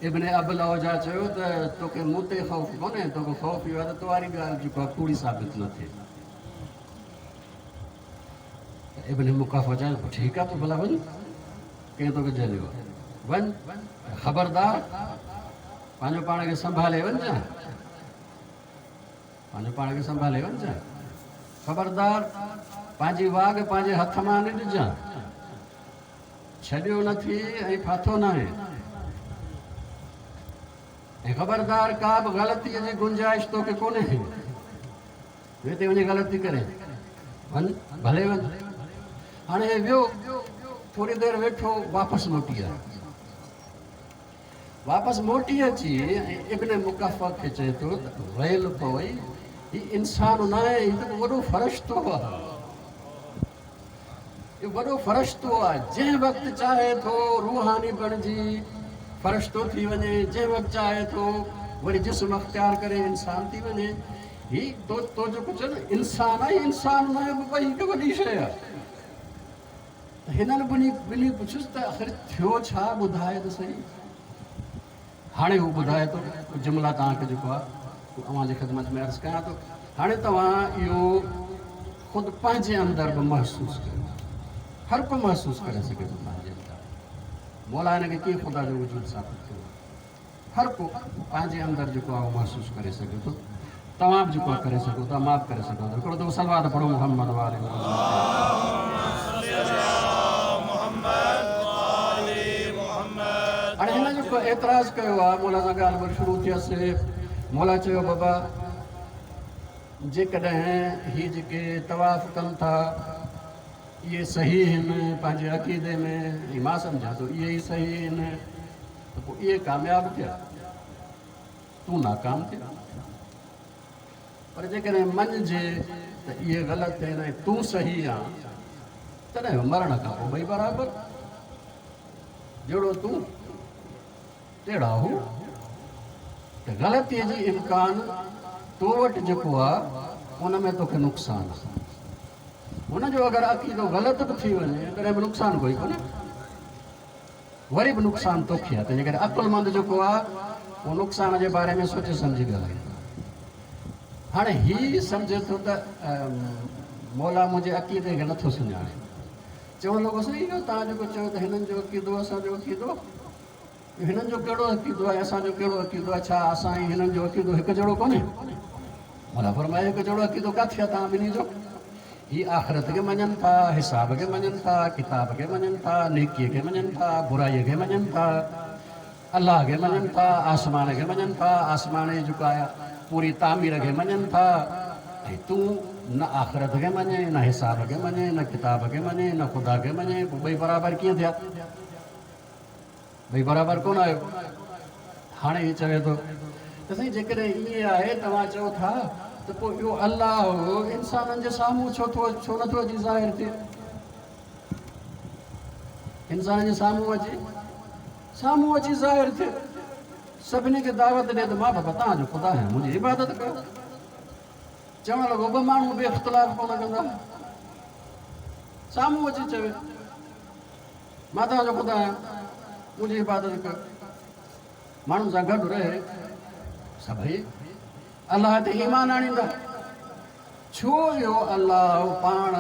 ابن ابوالعوجا چيو ته توکي مون تي خوف ڪونهي، توکي خوف اهو آهي ته تو واري ڳالهه جيڪو آهي ڪوڙي ثابت نه ٿئي. ته ابن مقفع چيو پوء ٺيڪ آهي تون ڀلا وڃ، ڪنهن توکي جهليو آهي، وڃ، خبردار پنهنجو پاڻ کي سنڀالي وڃجان، پنهنجو پاڻ کي سنڀالي وڃجان، خبردار پنهنجي واڳ پنهنجي هٿ مان نه ڏجان، ڇڏيو نه ٿي ۽ ڦاٿو ناهي، ۽ خبردار ڪا به غلطيء جي گنجائش توکي ڪونهي، هتي وڃي غلطي ڪرين، وڃ ڀلي وڃ. هاڻي هي ويو، ٿوري دير ويٺو، واپس موٽي آيو. واپس موٽي اچي ۽ ابن مقفع کي چئي ٿو ته ويل پوئي، هي انسان ناهي، هي ته وڏو فرشتو آهي. اهو وڏو فرشتو آهي، جنهن وقت چاهي ٿو روحاني بڻجي فرشتو ٿي وڃي، جنهن وقت چاهي ٿو وري جسم اختيار ڪري انسان ٿي وڃي. هي تو جيڪو چيو نه انسان آهي، انسان ناهي بابا، هي ته وڏي شيء آهي. ته هنن ٻنهي پڇيس ته آخر ٿيو ڇا، ٻڌاء ته سهي. هاڻي هو ٻڌائي ٿو، ڪجهه جملا توهان کي جيڪو آهي اهو اوهان جي خدمت ۾ عرض ڪيان ٿو. هاڻي توهان اهو خود پنهنجي اندر به محسوس ڪريو. هر ڪو محسوس ڪري سگهي ٿو پنهنجي اندر. مولا هن کي ڪيئن خدا جو وجود ثابت ڪيو آهي. هر ڪو پنهنجي اندر جيڪو آهي اهو محسوس ڪري سگهي ٿو. توهان به جيڪو آهي ڪري سگهو ٿا، مان به ڪري سگهان ٿو. هڪڙو دفعو صلوات پڙهو محمد وآله محمد. هاڻي هن جيڪو اعتراض ڪيو آهي مولا سان ڳالهه ٻولهه شروع ٿيس. مولا چيو بابا جيڪڏهن هي جيڪي طواف ڪن ٿا اهي صحيح آهن پنهنجي عقيدي ۾ ۽ مان سمجهان ٿو اهي ئي صحيح آهن ته پوء اهي ڪامياب ٿيا، تون ناڪام ٿيا. پر جيڪڏهن مڃجي ته اهي غلط آهن ۽ تون صحيح آن، تڏهن به مرڻ کان پوء ٻئي برابر، جهڙو تون تهڙا هو. ته غلطيء جي امڪان تو وٽ جيڪو آ، ان ۾ توکي نقصان آ. هن جو اگر عقيدو غلط به ٿي وڃي، تڏهن به نقصان ڪوئي ڪونهي. وري به نقصان توکي آهي، تنهنجي ڪري عقلمند جيڪو آهي اهو نقصان جي باري ۾ سوچي سمجهي ڳالهائيندو آهي. هاڻي هي سمجهي ٿو ته مولا منهنجي عقيدي کي نٿو سڃاڻي. چوڻ لڳو سائين اهو توهان جيڪو چيو ته هنن جو عقيدو اسان جو عقيدو، هنن جو ڪهڙو عقيدو آهي اسان جو ڪهڙو عقيدو آهي، ڇا اسان ۽ هنن جو عقيدو هڪ جهڙو ڪونهي؟ مولا فرمايو هڪ جهڙو عقيدو ڪاٿي آهي توهان ٻنهي جو؟ هي آخرت کي مڃن ٿا، حساب کي مڃن ٿا، ڪتاب کي مڃن ٿا، نيڪيء کي مڃن ٿا، برائيء کي مڃن ٿا، الله کي مڃن ٿا، آسمان کي مڃن ٿا، آسمان جي جيڪا آهي پوري تعمير کي مڃن ٿا ۽ تون نه آخرت کي مڃين، نه حساب کي مڃين، نه ڪتاب کي مڃين، نه خدا کي مڃين، پوء ٻئي برابر ڪيئن ٿيا؟ ٻئي برابر ڪونه آهيو. هاڻي هي چوي ٿو ته سائين جيڪڏهن ائين آهي توهان چئو ٿا ته پوء اهو الله انسانن جي سامهون ڇو ٿو ڇو نٿو اچي ظاهر ٿئي؟ انسانن جي سامهون اچي سامهون اچي ظاهر ٿئي سڀني کي دعوت ڏي ته مان بابا توهان جو خدا آهيان منهنجي عبادت ڪيو. چوڻ لڳو ٻه ماڻهو به اختلاف ڪونه ڪندا. سامهون اچي چوي مان توهان جو خدا آهيان، منهنجي عبادت ڪيو. ماڻهن سان گڏ رهي سڀئي الله تي ايمان آڻيندا. ڇو اهو الله پاڻ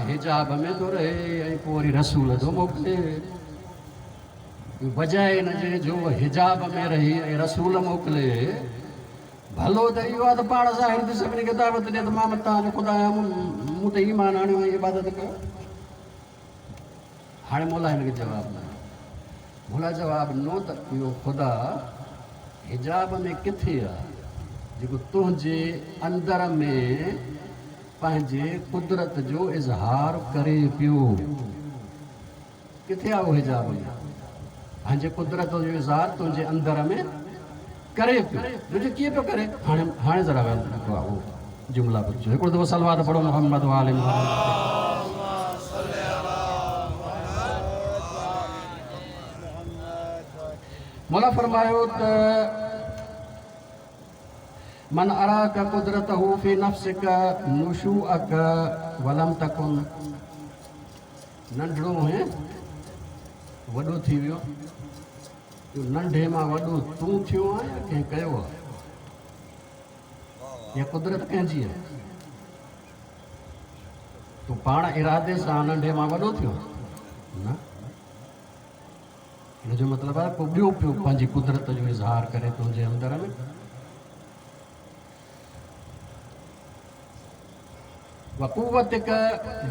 حجاب ۾ ٿو رهي ۽ پوء وري رسول ٿو موڪلي؟ بجاء ان جي جو حجاب ۾ رهي ۽ رسول موڪلي، ڀلو ته اهو آهي ته پاڻ ظاهر ٿي سڀني کي دعوت ڏي ته مان توهان جو خدا آهيان، مون تي ايمان آڻيو ۽ عبادت ڪيو. هاڻي مولا هن کي جواب ڏنو. مولا جواب ڏنو ته اهو خدا حجاب ۾ ڪٿي آهي، جيڪو تنهنجي اندر ۾ پنهنجي قدرت جو اظهار ڪري پيو. ڪٿي آ اهو حجاب ۾؟ پنهنجي قدرت جو اظهار تنهنجي اندر ۾ ڪري پيو. جو ڪيئن پيو ڪري؟ هاڻي هاڻي ذرا جيڪو آ اهو جملا ٻڌجو. هڪڙو دفعو صلوات پڙهو محمد وآل محمد. مولا فرمايو ته من اراک قدرته في نفسک نشوءک ولم تڪن ننڍڙو هئين، وڏو ٿي ويو. اهو ننڍي مان وڏو تون ٿيو آهين يا ڪنهن ڪيو آهي؟ اها قدرت ڪنهن جي آهي؟ تون پاڻ ارادي سان ننڍي مان وڏو ٿيو نه. ان جو مطلب آهي ڪو ٻيو پيو پنهنجي قدرت جو اظهار ڪري تنهنجي اندر ۾. وقوتک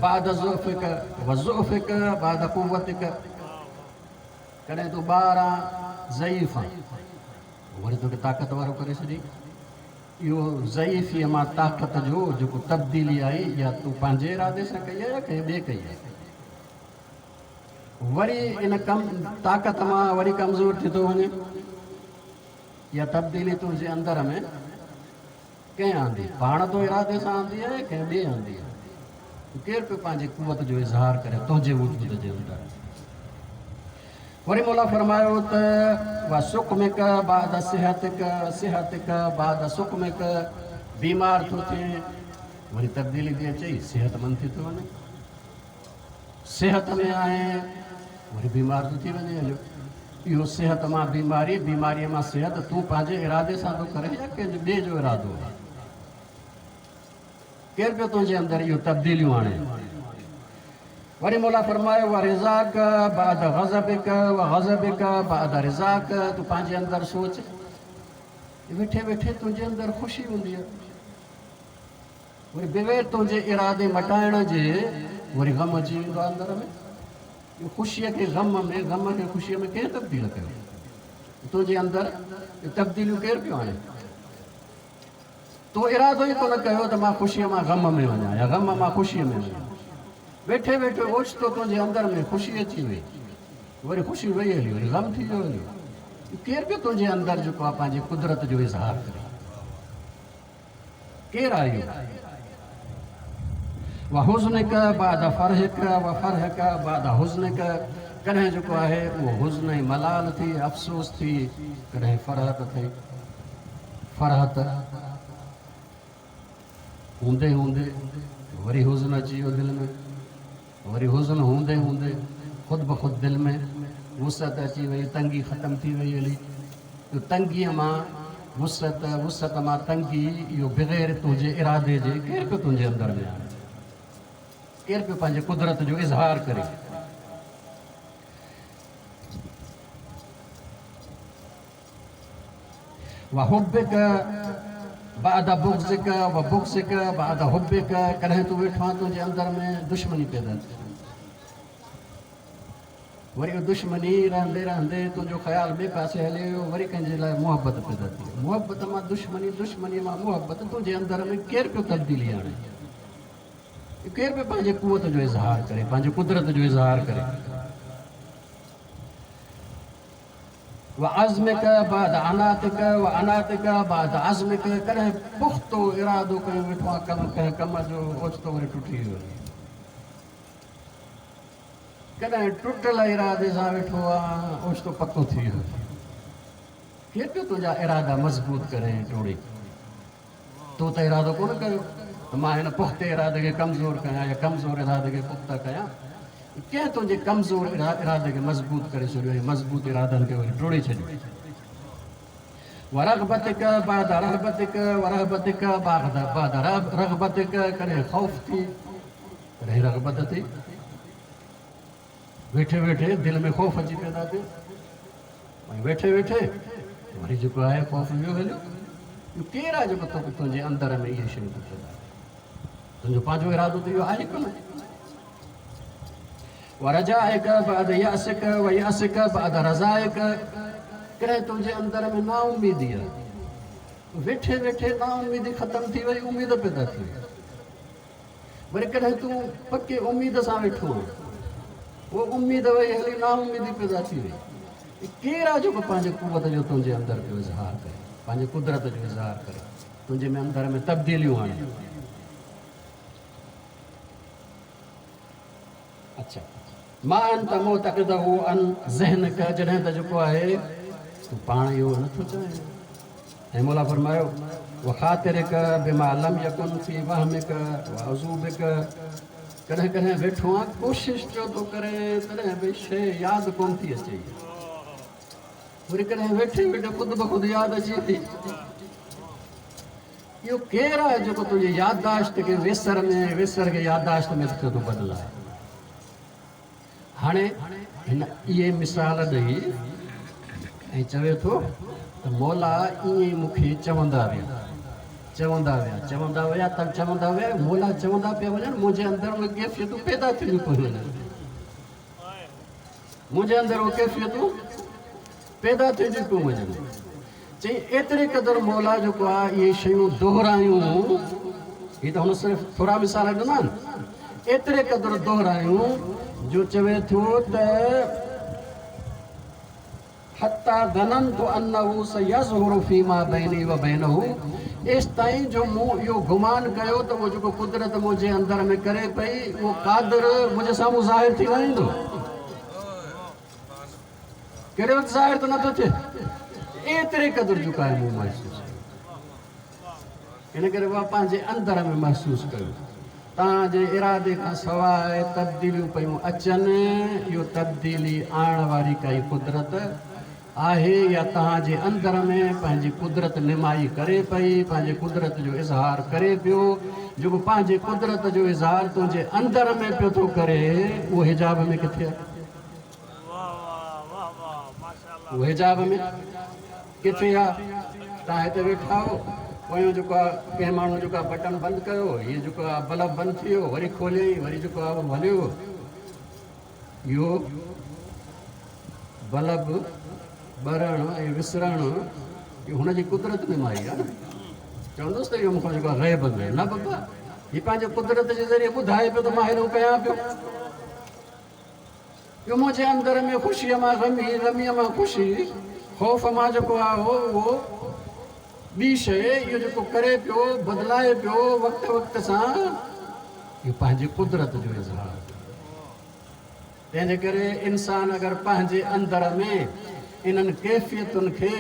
بعد ضعفک وضعفک بعد قوتک ڪڏهن تون ٻار آن ضعيف آن وري توکي طاقت وارو ڪري ڇڏي. اهو ضعيفيء مان طاقت جو جيڪو تبديلي آئي اها تون پنهنجي ارادي سان ڪئي آهي يا ڪنهن ٻئي ڪئي آهي؟ وري ان ڪم طاقت مان وري ڪمزور ٿي ٿو وڃي. اها تبديلي تنهنجي اندر ۾ ڪنهن آندي؟ پاڻ تو ارادي سان آندي آهي يا ڪنهن ٻئي آندي آهي؟ ڪير پيو پنهنجي قوت جو اظهار ڪري تنهنجي وجود جي اندر؟ وري مولا فرمايو ته وسقمک بعد صحتک صحتک بعد سقمک بيمار ٿو ٿئين وري تبديلي ٿي اچئي صحتمند ٿي ٿو وڃين. صحت ۾ آهين وري بيمار ٿو ٿي وڃين هليو. اهو صحت مان بيماري، بيماريء مان صحت تون پنهنجي ارادي سان ٿو ڪرين يا ڪنهن جو ٻئي جو ارادو آهي؟ ڪير پيو تنهنجي اندر اهو تبديليون آڻي؟ وري مولا فرمايو ورضاک بعد غضبک وغضبک بعد رضاک تون پنهنجي اندر سوچ ويٺي ويٺي تنهنجي اندر خوشي هوندي آهي. وري بغير تنهنجي ارادي مٽائڻ جي وري غم اچي ويندو آهي اندر ۾. اهو خوشيء کي غم ۾، غم کي خوشيء ۾ ڪنهن تبديل ڪيو؟ تنهنجي اندر اهي تبديليون ڪير پيو آڻي؟ تو ارادو ئي ڪونه ڪيو ته مان خوشيء مان غم ۾ وڃان يا غم مان خوشيء ۾ وڃان. ويٺي ويٺي اوچتو تنهنجي اندر ۾ خوشي اچي وئي، وري خوشي وئي هلي، وري غم ٿي ويو هليو. ڪير پيو تنهنجي اندر جيڪو آهي پنهنجي قدرت جو اظهار ڪري؟ ڪير آهي اهو؟ وحزنک بعد فرحک وفرحک بعد حزنک ڪڏهن جيڪو آهي اهو حزن ۽ ملال ٿي، افسوس ٿي، ڪڏهن فرحت ٿي. فرحت هوندي هوندي وري حزن اچي ويو دل ۾، وري حزن هوندي هوندي خود بخود دل ۾ وسعت اچي وئي، تنگي ختم ٿي وئي هلي. اهو تنگيء مان وسعت، وسعت مان تنگي، اهو بغير تنهنجي ارادي جي ڪير پيو تنهنجي اندر ۾ آڻي؟ ڪير پيو پنهنجي قدرت جو اظهار ڪري؟ وحبک بعد بغضک وبغضک بعد حبک ڪڏهن تون ويٺو آهين تنهنجي اندر ۾ دشمني پيدا ٿي وري اها دشمني رهندي رهندي تنهنجو خيال ٻئي پاسي هلي ويو وري ڪنهن جي لاء محبت پيدا ٿي وئي محبت مان دشمني دشمني مان محبت تنهنجي اندر ۾ ڪير پيو تبديلي آڻي ڪير پيو پنهنجي قوت جو اظهار ڪري پنهنجي قدرت جو اظهار ڪري وعزمک بعد عناتک وعناتک بعد عزمک ڪڏهن پختو ارادو ڪيو ويٺو آهين ڪم ڪنهن ڪم جو اوچتو وري ٽٽي ويو وڃي ڪڏهن ٽٽل ارادي سان ويٺو آهين اوچتو پڪو ٿي ويو وڃي ڪير پيو تنهنجا ارادا مضبوط ڪري ۽ ٽوڙي تو ته ارادو ڪونه ڪيو ته مان هن پختي ارادي کي ڪمزور ڪيان يا ڪمزور ارادي کي پخته ڪيان. ڪنهن تنهنجي ڪمزور ارادي کي مضبوط ڪري ڇڏيو ۽ مضبوط ارادن کي وري ٽوڙي ڇڏيو. ورغبتک بعد رهبتک ورهبتک بعد رغبتک ڪڏهن خوف ٿي ڪڏهن رغبت ٿي. ويٺي ويٺي دل ۾ خوف اچي پيدا ٿيو. ۽ ويٺي ويٺي وري جيڪو آهي خوف ويو هليو. اهو ڪير آهي جيڪو توکي تنهنجي اندر ۾ اهي شيون ٿو پيدا ڪري؟ تنهنجو پنهنجو ارادو ته اهو آهي ڪونه. ورجائڪ بعد يأسڪ ويأسڪ بعد رضائڪ، ڪڏهن تنهنجي اندر ۾ نااميدي آهي، ويٺي ويٺي نااميدي ختم ٿي وئي، اميد پيدا ٿي وئي. وري ڪڏهن تون پڪي اميد سان ويٺو آهين، پوء اميد وئي هلي نااميدي پيدا ٿي وئي. ڪير آهي جيڪو پنهنجي قوت جو تنهنجي اندر پيو اظهار ڪري، پنهنجي قدرت جو اظهار ڪري، تنهنجي ۾ اندر ۾ تبديليون آڻي؟ اڇا ما انت معتقده عن ذهنک، جڏهن ته جيڪو آهي تون پاڻ اهو نه ٿو چاهين. ۽ مولا فرمايو وخاطرک بما لم يڪن في وهمک وعزوبک، ڪڏهن ڪڏهن ويٺو آن ڪوشش پيو ٿو ڪرين تڏهن به شيء ياد ڪونه ٿي اچي، وري ڪڏهن ويٺي ويٺي خود بخود ياد اچي ٿي. اهو ڪير آهي جيڪو تنهنجي يادداشت کي ويسر ۾ ۽ ويسر کي يادداشت ۾ ٿيو ٿو بدلائي؟ هاڻي هن اهي مثال ڏئي ۽ چوي ٿو ته مولا ائين ئي مون کي چوندا ويا، چوندا ويا، چوندا ويا، ته چوندا ويا، مولا چوندا پيا وڃن، منهنجي اندر اهي ڪيفيتون پيدا ٿينديون پيون وڃن. منهنجي اندر اهي ڪيفيتون پيدا ٿينديون پيون وڃن. چئي ايتري قدر مولا جيڪو آ اهي شيون دهرايون، هي ته هن صرف ٿورا مثال ڏنا آهن، ايتري قدر دهرايون جو چوي ٿو ته حتي ظننت انه سيظهر فيما بيني وبينه، ايستائين جو مون اهو گمان ڪيو ته اهو جيڪو قدرت منهنجي اندر ۾ ڪري پئي اهو قادر منهنجي سامهون ظاهر ٿي ويندو. ڪهڙي وقت ظاهر ته نٿو ٿئي، ايتري قدر جهڪاء مون محسوس ڪيو. ان ڪري اها پنهنجي اندر ۾ محسوس ڪيو. توهان جي ارادي کان سواء تبديليون پيون اچن، اهو تبديلي آڻڻ واري ڪائي قدرت آهي يا توهان جي اندر ۾ پنهنجي قدرت نمائي ڪري پئي، پنهنجي قدرت جو اظهار ڪري پيو، جيڪو پنهنجي قدرت جو اظهار تنهنجي اندر ۾ پيو ٿو ڪري، اهو حجاب ۾ ڪٿي آهي؟ اهو حجاب ۾ ڪٿي آ؟ توهان هتي ويٺا آهيو، پويون جيڪو آ ڪنهن ماڻهو جيڪو آ بٽڻ بند ڪيو، هي جيڪو آ بلب بند ٿي ويو، وري کوليائين، وري جيڪو آ اهو هليو ويو. اهو بلب ٻرڻ ۽ وسرڻ اهو هن جي قدرت نمائي آ نه. چوندس ته اهو مون کان جيڪو آ غيب ۾ آ. نه بابا، هي پنهنجي قدرت جي ذريعي ٻڌائي پيو ته مان هيڏو ڪيان پيو. جو منهنجي اندر ۾ خوشيء مان غمي، غميء مان خوشي، خوف مان جيڪو آهي اهو ٻي شيء، اهو جيڪو ڪري پيو، بدلائي پيو وقت وقت سان، اهو پنهنجي قدرت جو اظهار آهي. تنهن جي ڪري انسان اگر پنهنجي اندر ۾ انهن ڪيفيتن کي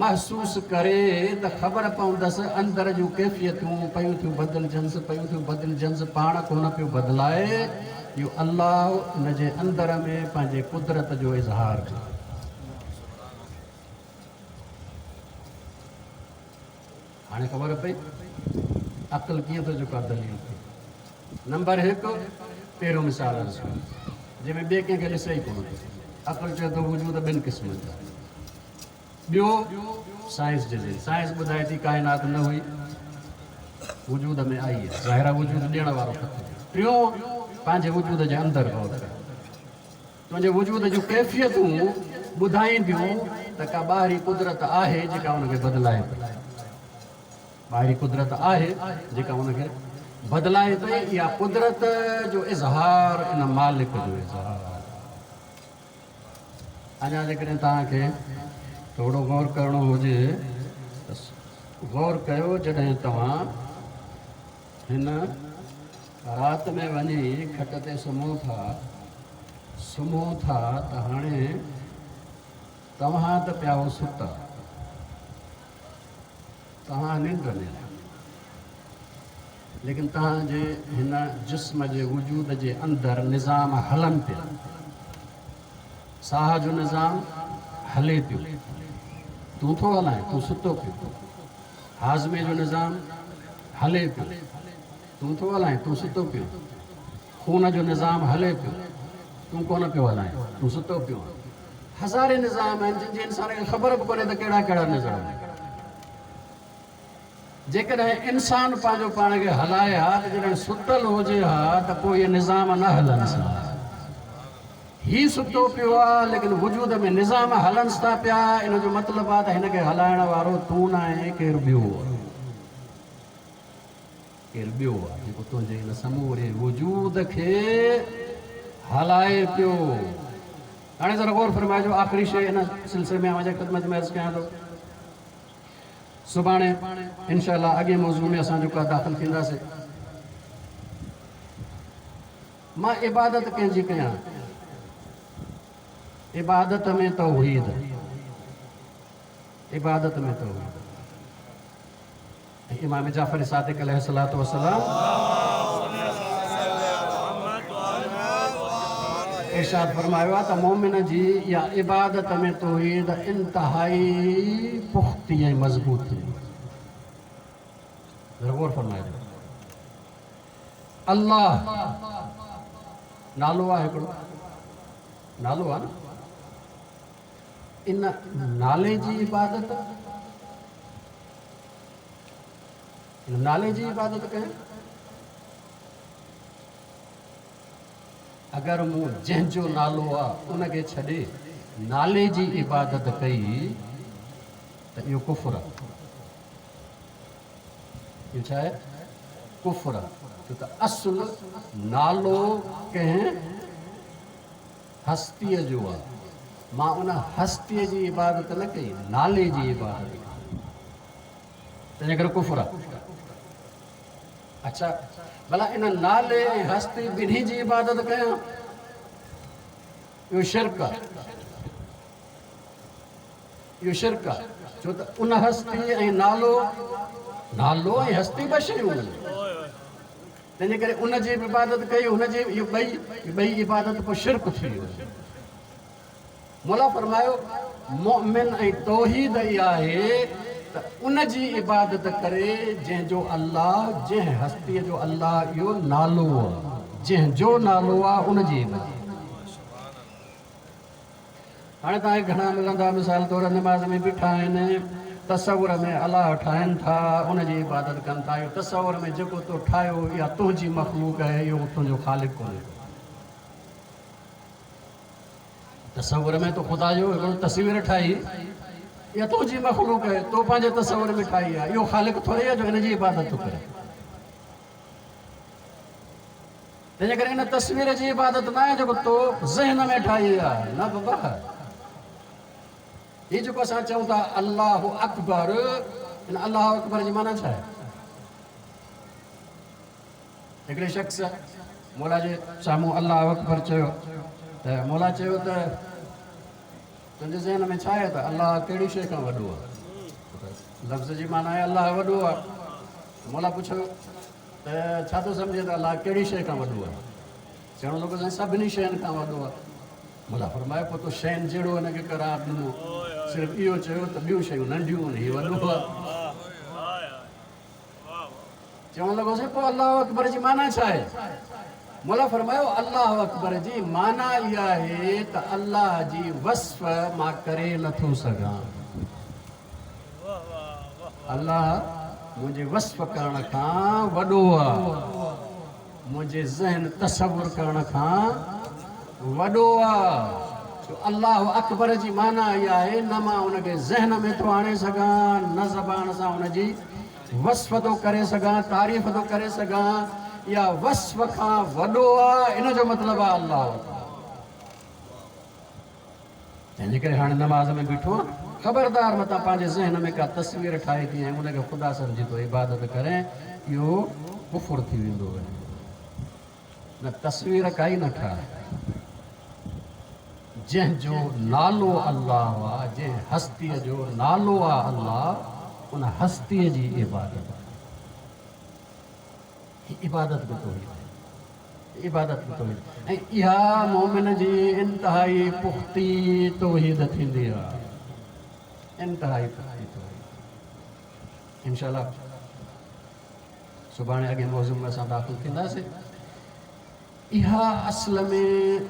محسوس ڪري ته خبر پوندس اندر جون ڪيفيتون پيون ٿيون بدلجنس، پيون ٿيون بدلجنس، پاڻ ڪونه پيو بدلائي، اهو الله ان جي اندر ۾ پنهنجي قدرت جو اظهار ڪيو. هاڻي خبر پئي عقل ڪيئن ٿو جيڪو آهي دليل ٿئي. نمبر هڪ، پهريون مثال عرض ڪيو جنهن ۾ ٻئي ڪنهن کي ڏسي ئي ڪونه ٿو. عقل چئي ٿو وجود ٻن قسمن جا آهن. ٻيو سائنس جي ذريعي، سائنس ٻڌائي ٿي ڪائنات نه هئي وجود ۾ آئي آهي، ظاهر آهي وجود ڏيڻ وارو کپي. ٽيون پنهنجي وجود جي اندر غور ڪر، تنهنجي وجود جون ڪيفيتون ٻڌائينديون ته ڪا ٻاهرين قدرت آهي جيڪا ان کي بدلائي پئي. ٻاهرين قدرت آهي جيڪا ان کي بدلائي پئي، اها قدرت جو اظهار ان مالڪ جو اظهار آهي. اڃا جيڪڏهن توهان کي ٿورو غور ڪرڻو هجي ته غور ڪيو جڏهن توهان هن رات ۾ وڃي کٽ تي سمهو ٿا، سمهو ٿا ته هاڻي توهان ته پيا هو ستا، توهان ننڊ ۾ آهيو، ليڪن توهان جي هن جسم جي وجود جي اندر نظام هلن پيا، ساهه جو نظام هلي پيو، تون ٿو هلائين، تون ستو پيو، هاضمي جو نظام هلي پيو، تون ٿو هلائين، تون ستو پيو، خون جو نظام هلي پيو، تون ڪونه پيو هلائين، تون ستو پيو آهين. هزارين نظام آهن جن جي انسان کي خبر به ڪونهي ته ڪهڙا ڪهڙا نظام آهن. جيڪڏهن انسان پنهنجو پاڻ کي هلائي ها ته جڏهن ستل هجي ها ته پوء اهي نظام نه هلنس ها. هي ستو پيو آ ليڪن وجود ۾ نظام هلنس ٿا پيا ان جو مطلب آ ته هن کي هلائڻ وارو تون ناهين ڪير ٻيو آ. ڪير ٻيو آ جيڪو تنهنجي هن سموري وجود کي هلائي پيو. هاڻي ذرا غور فرمائجو آخري شيء ان سلسلي ۾ اوهان جي خدمت ۾ عرض ڪيان ٿو. سڀاڻي انشاء الله اڳئين موضوع ۾ اسان جيڪو آ داخل ٿينداسين. مان عبادت ڪنهن جي ڪيان؟ عبادت ۾ توحيد، عبادت ۾ توحيد. ۽ امام جعفر صادق عليه الصلوة والسلام ارشاد فرمايو آهي ته مؤمن جي اها عبادت ۾ توحيد انتهائي پختي ۽ مضبوط ٿيندي. ذرا غور فرمائجو. الله نالو آهي هڪڙو نالو آهي نه ان نالي جي عبادت ان نالي جي عبادت ڪيان اگر مون جنهن جو نالو آ ان کي ڇڏي نالي جي عبادت ڪئي ته اهو ڪفر آ. اهو ڇا آهي؟ ڪفر آ. ڇو ته اصل نالو ڪنهن هستيء جو آ. مان ان هستيء جي عبادت نه ڪئي، نالي جي عبادت ڪئي. تنهنجي ڪري ڪفر آ. اڇا ڀلا ان نالي ۽ هستي ٻنهي جي عبادت ڪيان؟ اهو شرڪ آ. اهو شرڪ آ. ڇو ته ان هستي ۽ نالو، نالو ۽ هستي ٻه شيون آهن. تنهنجي ڪري ان جي به عبادت ڪئي هن جي اهو ٻئي ٻئي عبادت پوء شرڪ ٿي ويو. مولا فرمايو، مؤمن ۽ توحيد اها آهي ته ان جي عبادت ڪري جنهن جو الله، جنهن هستيء جو الله اهو نالو آهي، جنهن جو نالو آهي ان جي عبادت. هاڻي توهان کي گهڻا ملندا مثال طور نماز ۾ بيٺا آهن تصور ۾ الله ٺاهين ٿا ان جي عبادت ڪن ٿا اهو تصور ۾ جيڪو تو ٺاهيو اها تنهنجي مخلوق آهي اهو تنهنجو خالق ڪونهي. تصور ۾ تو خدا جو هڪڙو تصوير ٺاهي اها تنهنجي مخلوق آهي تو پنهنجي تصور ۾ ٺاهي آهي اهو خالق ٿوري آهي جو هن جي عبادت ٿو ڪري تنهنجي ڪري ان تصوير جي عبادت نه آهي جيڪو تو ذهن ۾ ٺاهي آهي نه بابا هي جيڪو اسان چئون ٿا الله اڪبر ان الله اڪبر جي معنيٰ ڇا آهي؟ هڪڙي شخص مولا جي سامهون الله اڪبر چيو ته مولا چيو ته تنهنجي ذهن ۾ ڇا آهي ته الله ڪهڙي شيء کان وڏو آهي؟ لفظ جي معنيٰ آهي الله وڏو آهي. مولا پڇيو ته ڇا ٿو سمجهين ته الله ڪهڙي شيء کان وڏو آهي؟ چوڻ لڳو سائين سڀني شين کان وڏو آهي. مولا فرمايو پوء تو شين جهڙو هن کي قرار ڏنو صرف اهو چيو ته ٻيون شيون ننڍيون آهن هي وڏو آهي. چوڻ لڳو سائين پوء الله اڪبر جي معنيٰ ڇا آهي؟ مولا فرمايو الله اڪبر جي معنيٰ اها آهي ته الله جي وصف مان ڪري نٿو سگهان. الله منهنجي وصف ڪرڻ کان وڏو آهي. منهنجي ذهن تصور ڪرڻ کان وڏو آهي. جو الله اڪبر جي معنيٰ اها آهي نه مان ان کي ذهن ۾ ٿو آڻي سگهان نه زبان سان ان جي وصف ٿو ڪري سگهان، تعريف ٿو ڪري سگهان، اها وصف کان وڏو آ، ان جو مطلب آ الله اڪبر. تنهن جي ڪري هاڻي نماز ۾ بيٺو آن، خبردار متان پنهنجي ذهن ۾ ڪا تصوير ٺاهي ٿي ۽ ان کي خدا سمجهي ٿو عبادت ڪرين، اهو ڪفر ٿي ويندو. نه تصوير ڪائي نه ٺاهه. جنهن جو نالو الله آ، جنهن هستيء جو نالو آ الله، ان هستيء جي عبادت ڪر. هي عبادت به توحيد آهي. عبادت به توحيد ۽ اها مؤمن جي انتهائي پختي توحيد ٿيندي آ. انتهائي پختي توحيد. انشاء الله سڀاڻي اڳئين موضوع ۾ اسان داخل ٿينداسين. اها اصل ۾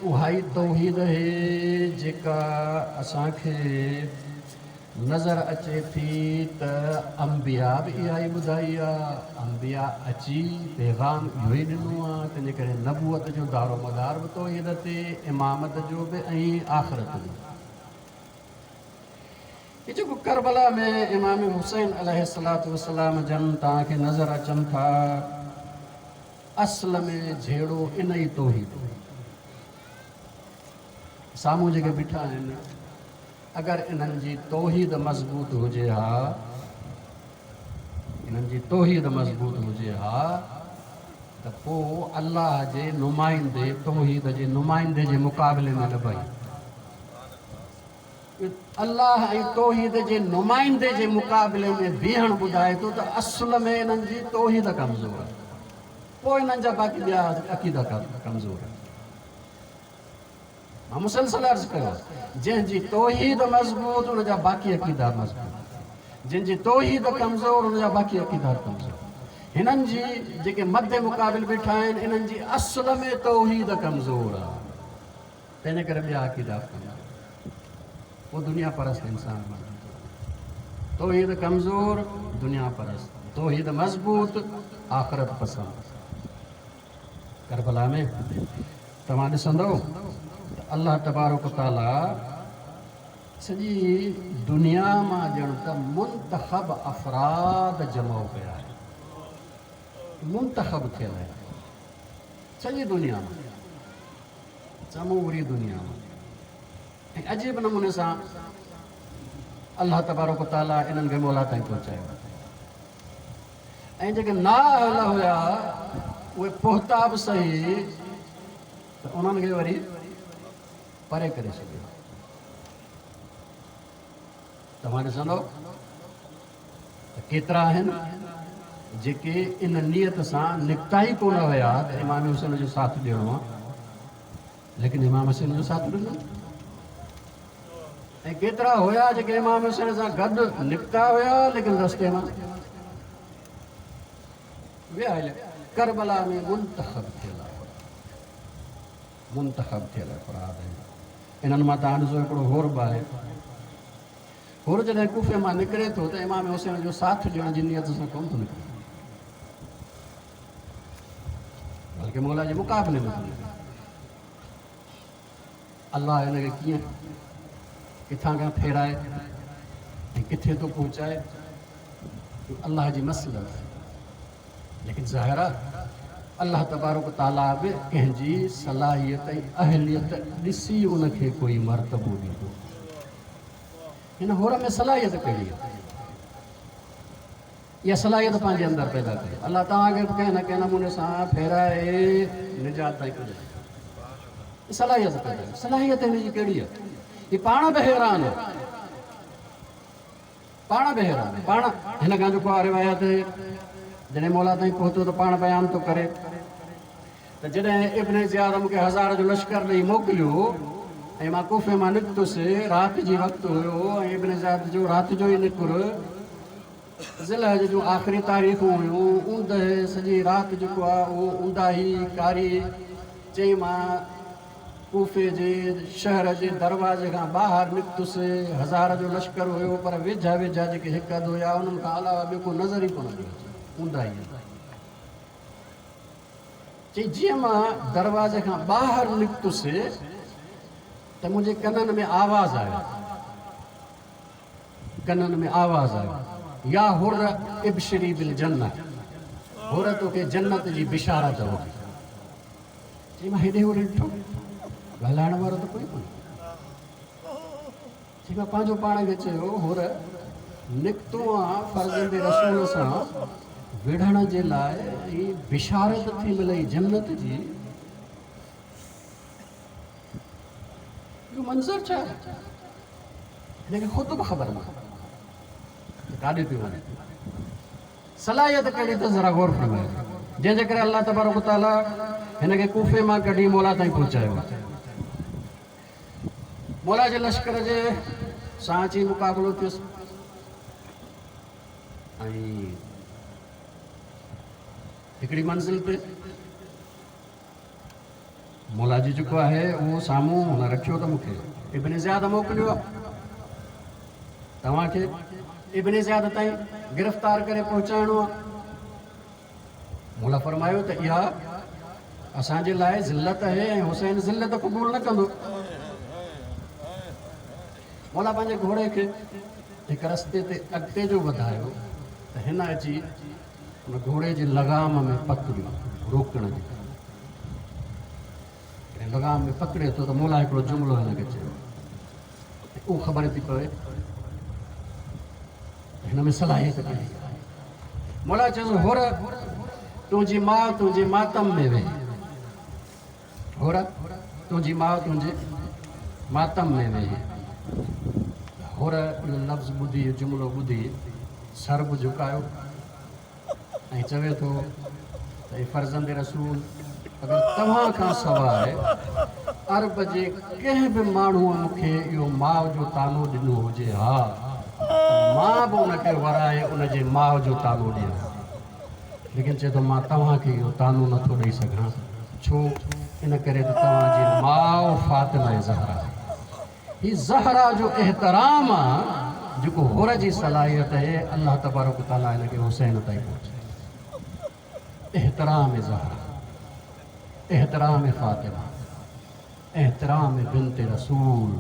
اها ئي توحيد اهي جيڪا اسان کي نظر اچي ٿي ته انبياء به اها ئي ٻڌائي آ، انبياء اچي پيغام اهو ئي ڏنو آ، تنهنجي ڪري نبوت جو دارومدار به توحيد تي، امامت جو به ۽ آخرت جو. هي جيڪو ڪربلا ۾ امام حسين عليه الصلوة والسلام جن توهان کي نظر اچن ٿا، اصل ۾ جهيڙو ان ئي توحيد هو. سامهون جيڪي بيٺا آهن، اگر انهن جي توحيد مضبوط هجي ها، انهن جي توحيد مضبوط هجي ها ته پوء الله جي نمائندي، توحيد جي نمائندي جي مقابلي ۾ نه بيهن. الله ۽ توحيد جي نمائندي جي مقابلي ۾ بيهڻ ٻڌائي ٿو ته اصل ۾ انهن جي توحيد ڪمزور آهي، پوء انهن جا باقي ٻيا عقيدا ڪمزور آهن. مان مسلسل عرض ڪيو آهي، جنهن جي توحيد مضبوط ان جا باقي عقيدا مضبوط، جنهن جي توحيد ڪمزور ان جا باقي عقيدا ڪمزور. هنن جي جيڪي مد مقابل بيٺا آهن انهن جي اصل ۾ توحيد ڪمزور آهي. تنهن ڪري ٻيا عقيدا به ڪمزور. پوء دنيا پرست انسان بڻجي ٿو وڃي. توحيد ڪمزور، دنيا پرست. توحيد مضبوط، آخرت پسند. ڪربلا ۾ توهان ڏسندؤ ته الله تبارڪ و تعاليٰ سڄي دنيا مان ڄڻ ته منتخب افراد جمع ڪيا آهن. منتخب ٿيل آهن. سڄي دنيا مان. سموري دنيا مان ۽ عجيب نموني سان الله تبارڪ و تعاليٰ انهن کي مولا تائين پهچايو ۽ جيڪي نااهل هيا اهي پهتا به صحيح ته انهن کي وري پري ڪري ڇڏيو. توهان ڏسندو ته ڪيترا آهن جيڪي ان نيت سان نڪتا ئي ڪونه هيا ته امام حسين جو ساٿ ڏيڻو آهي، ليڪن امام حسين جو ساٿ ڏنو، ۽ ڪيترا هيا جيڪي امام حسين سان گڏ نڪتا هيا ليڪن رستي مان ويا هليا. ڪربلا ۾ منتخب ٿيل منتخب ٿيل افراد آهن. انهن مان توهان ڏسو هڪڙو حر به آهي. حر جڏهن ڪوفي مان نڪري ٿو ته امام حسين جو ساٿ ڏيڻ جي نيت سان ڪونه ٿو نڪري، بلڪه مولا جي مقابلي ۾ ٿو نڪري. الله هن کي ڪيئن ڪٿان کان ڦيرائي ۽ ڪٿي ٿو پهچائي، اهو الله جي مصلحت آهي. ليڪن ظاهر آهي الله تبارڪ تعاليٰ به ڪنهن جي صلاحيت ۽ اهليت ڏسي ان کي ڪوئي مرتبو ڏيندو. هن حر ۾ صلاحيت ڪهڙي آهي؟ اها صلاحيت پنهنجي اندر پيدا ڪريو. الله توهان کي به ڪنهن نه ڪنهن نموني سان ڦيرائي نجات تائين پڄائيندو. صلاحيت پيدا ڪريو. صلاحيت هن جي ڪهڙي آهي؟ هي پاڻ به حيران آهي. پاڻ به حيران آهي. پاڻ هن کان جيڪو آهي روايت جڏهن مولا تائين پهتو ته پاڻ بيان ٿو ڪري ته جڏهن ابن زياد مون کي هزار جو لشڪر ڏئي موڪليو ۽ مان ڪوفي مان نڪتس، رات جي وقت هيو ۽ ابن زياد جو رات جو ئي نڪر ذوالحج جون آخري تاريخون هيون، اوندهه سڄي رات جيڪو آهي اهو اونداهي ڪاري، چئي مان ڪوفي جي شهر جي دروازي کان ٻاهر نڪتس، هزار جو لشڪر هيو پر ويجها ويجها جيڪي هڪ اڌ هيا انهن کان علاوه ٻيو ڪو نظر ئي ڪونه پيو اچي، اونداهي. چي جيئن مان دروازي کان ٻاهر نڪتس ته منهنجي ڪنن ۾ آواز آيو، ڪنن ۾ آواز آيو، يا حر ابشري بالجنة، حر توکي جنت جي بشارت هجي. چي مان هيڏي هوڏي ڏٺو، ڳالهائڻ وارو ته ڪوئي ڪونهي. چي مان پنهنجو پاڻ کي چيو، حر نڪتو آن فرزند رسول سان وڙهڻ جي لاء ۽ بشارت ٿي ملئي جنت جي، اهو منظر ڇا آهي؟ هن کي خود به خبر نه ته ڪاڏي پيو وڃي. صلاحيت ڪهڙي اٿس ذرا غور فرمايو، جنهن جي ڪري الله تبارڪ وتعاليٰ هن کي ڪوفي مان ڪڍي مولا تائين پهچايو. مولا جي لشڪر جي سان اچي مقابلو ٿيس ۽ هڪڙي منزل تي مولا جي جيڪو آهي اهو سامهون هن رکيو ته مون کي ابن زياد موڪليو آهي توهان کي ابن زياد تائين گرفتار ڪري پهچائڻو آهي. مولا فرمايو ته اها اسان جي لاء ذلت آهي ۽ حسين ذلت قبول نه ڪندو. مولا پنهنجي گهوڙي کي هڪ رستي تي اڳتي جو وڌايو ته هن اچي ان گهوڙي جي لغام ۾ پڪڙيو روڪڻ جي لاء. جڏهن لغام ۾ پڪڙي ٿو ته مولا هڪڙو جملو هن کي چيو ۽ اهو خبر ٿي پوي ته هن ۾ صلاحيت ڪهڙي آهي. مولا چيس حر تنهنجي ماء تنهنجي ماتم ۾ ويهي. حر تنهنجي ماء تنهنجي ماتم ۾ ويهي. حر اهو لفظ ٻڌي، اهو جملو ٻڌي سر به جهڪايو ۽ چوي ٿو ته اي فرزند رسول! اگر توهان کان سواء عرب جي ڪنهن به ماڻهوء مون کي اهو ماء جو طعنو ڏنو هجي ها ته مان به ان کي ورائي ان جي ماء جو طعنو ڏيان ها. ليڪن چئي ٿو مان توهان کي اهو طعنو نه ٿو ڏئي سگهان، ڇو؟ ان ڪري ته توهان جي ماء فاطمه زهرا آهي. هي زهرا جو احترام آ جيڪو حر جي صلاحيت اهي الله تبارڪ وتعالي هن کي حسين تائين پهچائي. احترام زهرا، احترام فاطمه، احترام بنت رسول،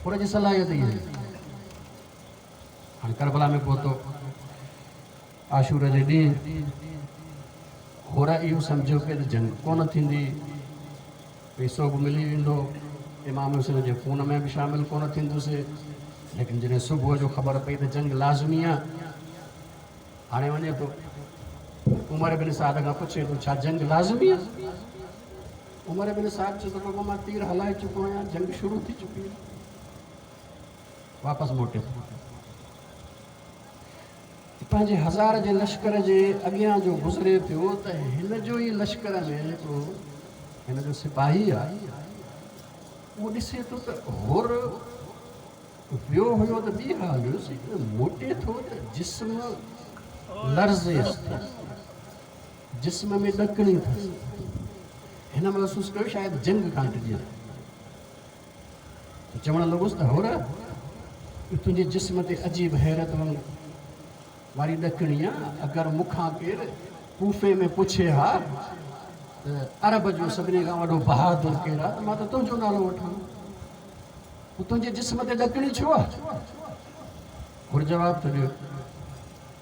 حر جي صلاحيت اها آهي. هاڻي ڪربلا ۾ پهتو. عاشور جي ڏينهن حر اهو سمجهيو پئي ته جنگ ڪونه ٿيندي، پئسو به ملي ويندو، امام حسين جي خون ۾ به شامل ڪونه ٿيندس. ليڪن جڏهن صبح جو خبر پئي ته جنگ لازمي آ، هاڻي وڃي ٿو عمر بن سعد کان پڇي ٿو، ڇا جنگ لازمي آ؟ عمر بن سعد چيو ته بابا مان تير هلائي چڪو آهيان، جنگ شروع ٿي چڪي آهي. واپس موٽي ٿو. پنهنجي هزار جي لشڪر جي اڳيان جو گذري پيو ته هن جو ئي لشڪر ۾ هڪڙو هن جو سپاهي آهي، اهو ڏسي ٿو ته حر ويو هيو ته ٻي حال هيس، موٽي ٿو ته جسم لرزيس ٿو، جسم ۾ ڏڪڻي اٿس. هن محسوس ڪيو شايد جنگ کان ڊڄي ٿو. چوڻ لڳس ته حر! اهو تنهنجي جسم تي عجيب حيرت واري ڏڪڻي آ، اگر مون کان ڪير ڪوفي ۾ پڇي ها ته عرب جو سڀني کان وڏو بهادر ڪير آ ته مان ته تنهنجو نالو وٺان. پوء تنهنجي جسم تي ڏڪڻي ڇو آ؟ حر جواب ٿو ڏيو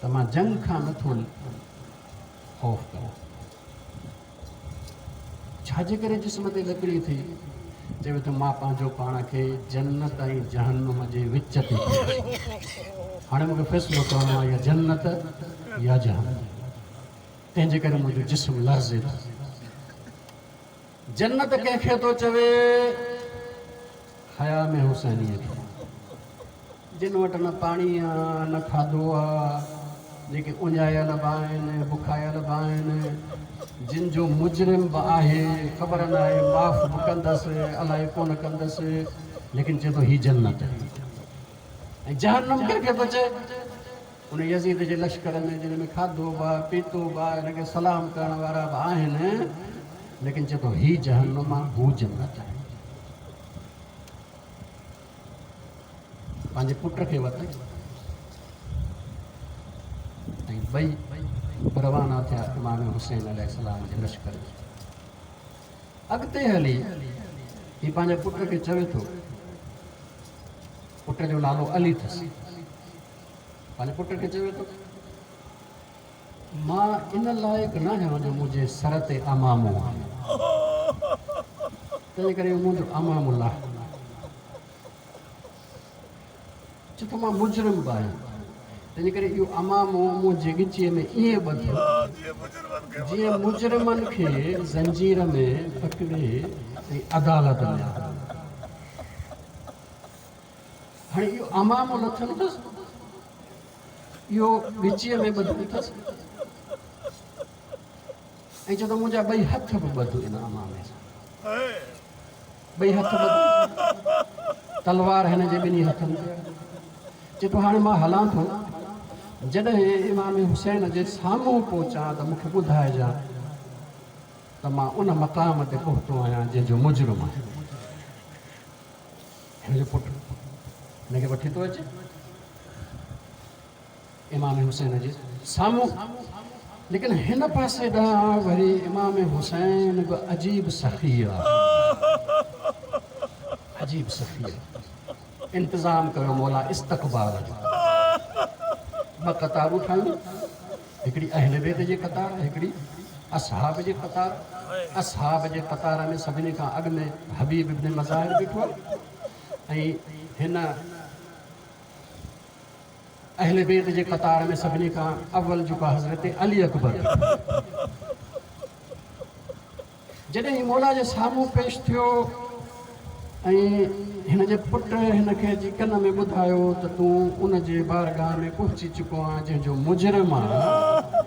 ته مان جنگ کان نٿو خوف ڪريان. ڇا جي ڪري جسم تي لڪڙي ٿي؟ چوي ٿو مان پنهنجو پاڻ کي جنت ۽ جهنم جي وچ تي ٿو ڏسان. هاڻي مون کي فيصلو ڪرڻو آهي يا جنت يا جهنم. تنهن جي ڪري منهنجو جسم لرزي ٿو. جنت ڪنهن کي ٿو چوي؟ خيام حسينيء کي، جن وٽ نه پاڻي آ، نه کاڌو آ، جيڪي اڃايل به آهن، بکايل به آهن، جن جو مجرم به آهي، خبر ناهي معاف به ڪندس، الائي ڪونه ڪندس، ليڪن چئي ٿو هي جنت آهي. ۽ جهنم ڪنهن کي ٿو چئي؟ ان يزيد جي لشڪر ۾ جن ۾ کاڌو به آ، پيتو به آ، هن کي سلام ڪرڻ وارا به آهن، ليڪن چئي ٿو هي جهنم آ، هو جنت آهي. پنهنجي پٽ کي ورتائين ۽ ٻئي روانا ٿيا امام حسين عليه السلام جي لشڪر جي اڳتي هلي هي پنهنجي پٽ کي چوي ٿو، پٽ جو نالو علي اٿس، پنهنجي پٽ کي چوي ٿو مان ان لائق نه آهيان جو منهنجي سر تي عمامو آهي، تنهن ڪري منهنجو عمامو لاهه. چي ٿو مان مجرم به آهيان، تنهن ڪري اهو عمامو منهنجي ڳچيء ۾ ائين ٻڌ جيئن مجرمن کي زنجير ۾ پڪڙي ۽ عدالت ۾ آڻين. هاڻي اهو عمامو لٿل اٿس، اهو ڳچيء ۾ ٻڌل اٿس ۽ چئي ٿو منهنجا ٻئي هٿ به ٻڌ ان عمامي سان. ٻئي هٿ ٻڌ، تلوار هن جي ٻنهي هٿن تي آهي. چئي ٿو هاڻي مان هلان ٿو، جڏهن امام حسين جي سامهون پهچان ته مون کي ٻڌائجان. ته مان ان مقام تي پهتو آهيان جنهن جو مجرم آهيان. هن جو پٽ هن کي وٺي ٿو اچي امام حسين جي سامهون. ليڪن هن پاسي ڏانهن وري امام حسين به عجيب سخي آهي، عجيب سخي آهي. انتظام ڪيو مولا استقبال جو، ٻه قطارون ٺاهيون، هڪڙي اهل بيت جي قطار، هڪڙي اصحاب جي قطار. اصحاب جي قطار ۾ سڀني کان اڳ ۾ حبيب ابن مظاهر بيٺو آهي ۽ هن اهل بيت جي قطار ۾ سڀني کان اول جيڪو حضرت علي اڪبر بيٺو آهي. جڏهن هي مولا جي سامهون پيش ٿيو ۽ هن جي پٽ هن کي اچي ڪن ۾ ٻڌايو ته تون ان جي بارگاهه ۾ پهچي چڪو آهين جنهن جو مجرم آهين ته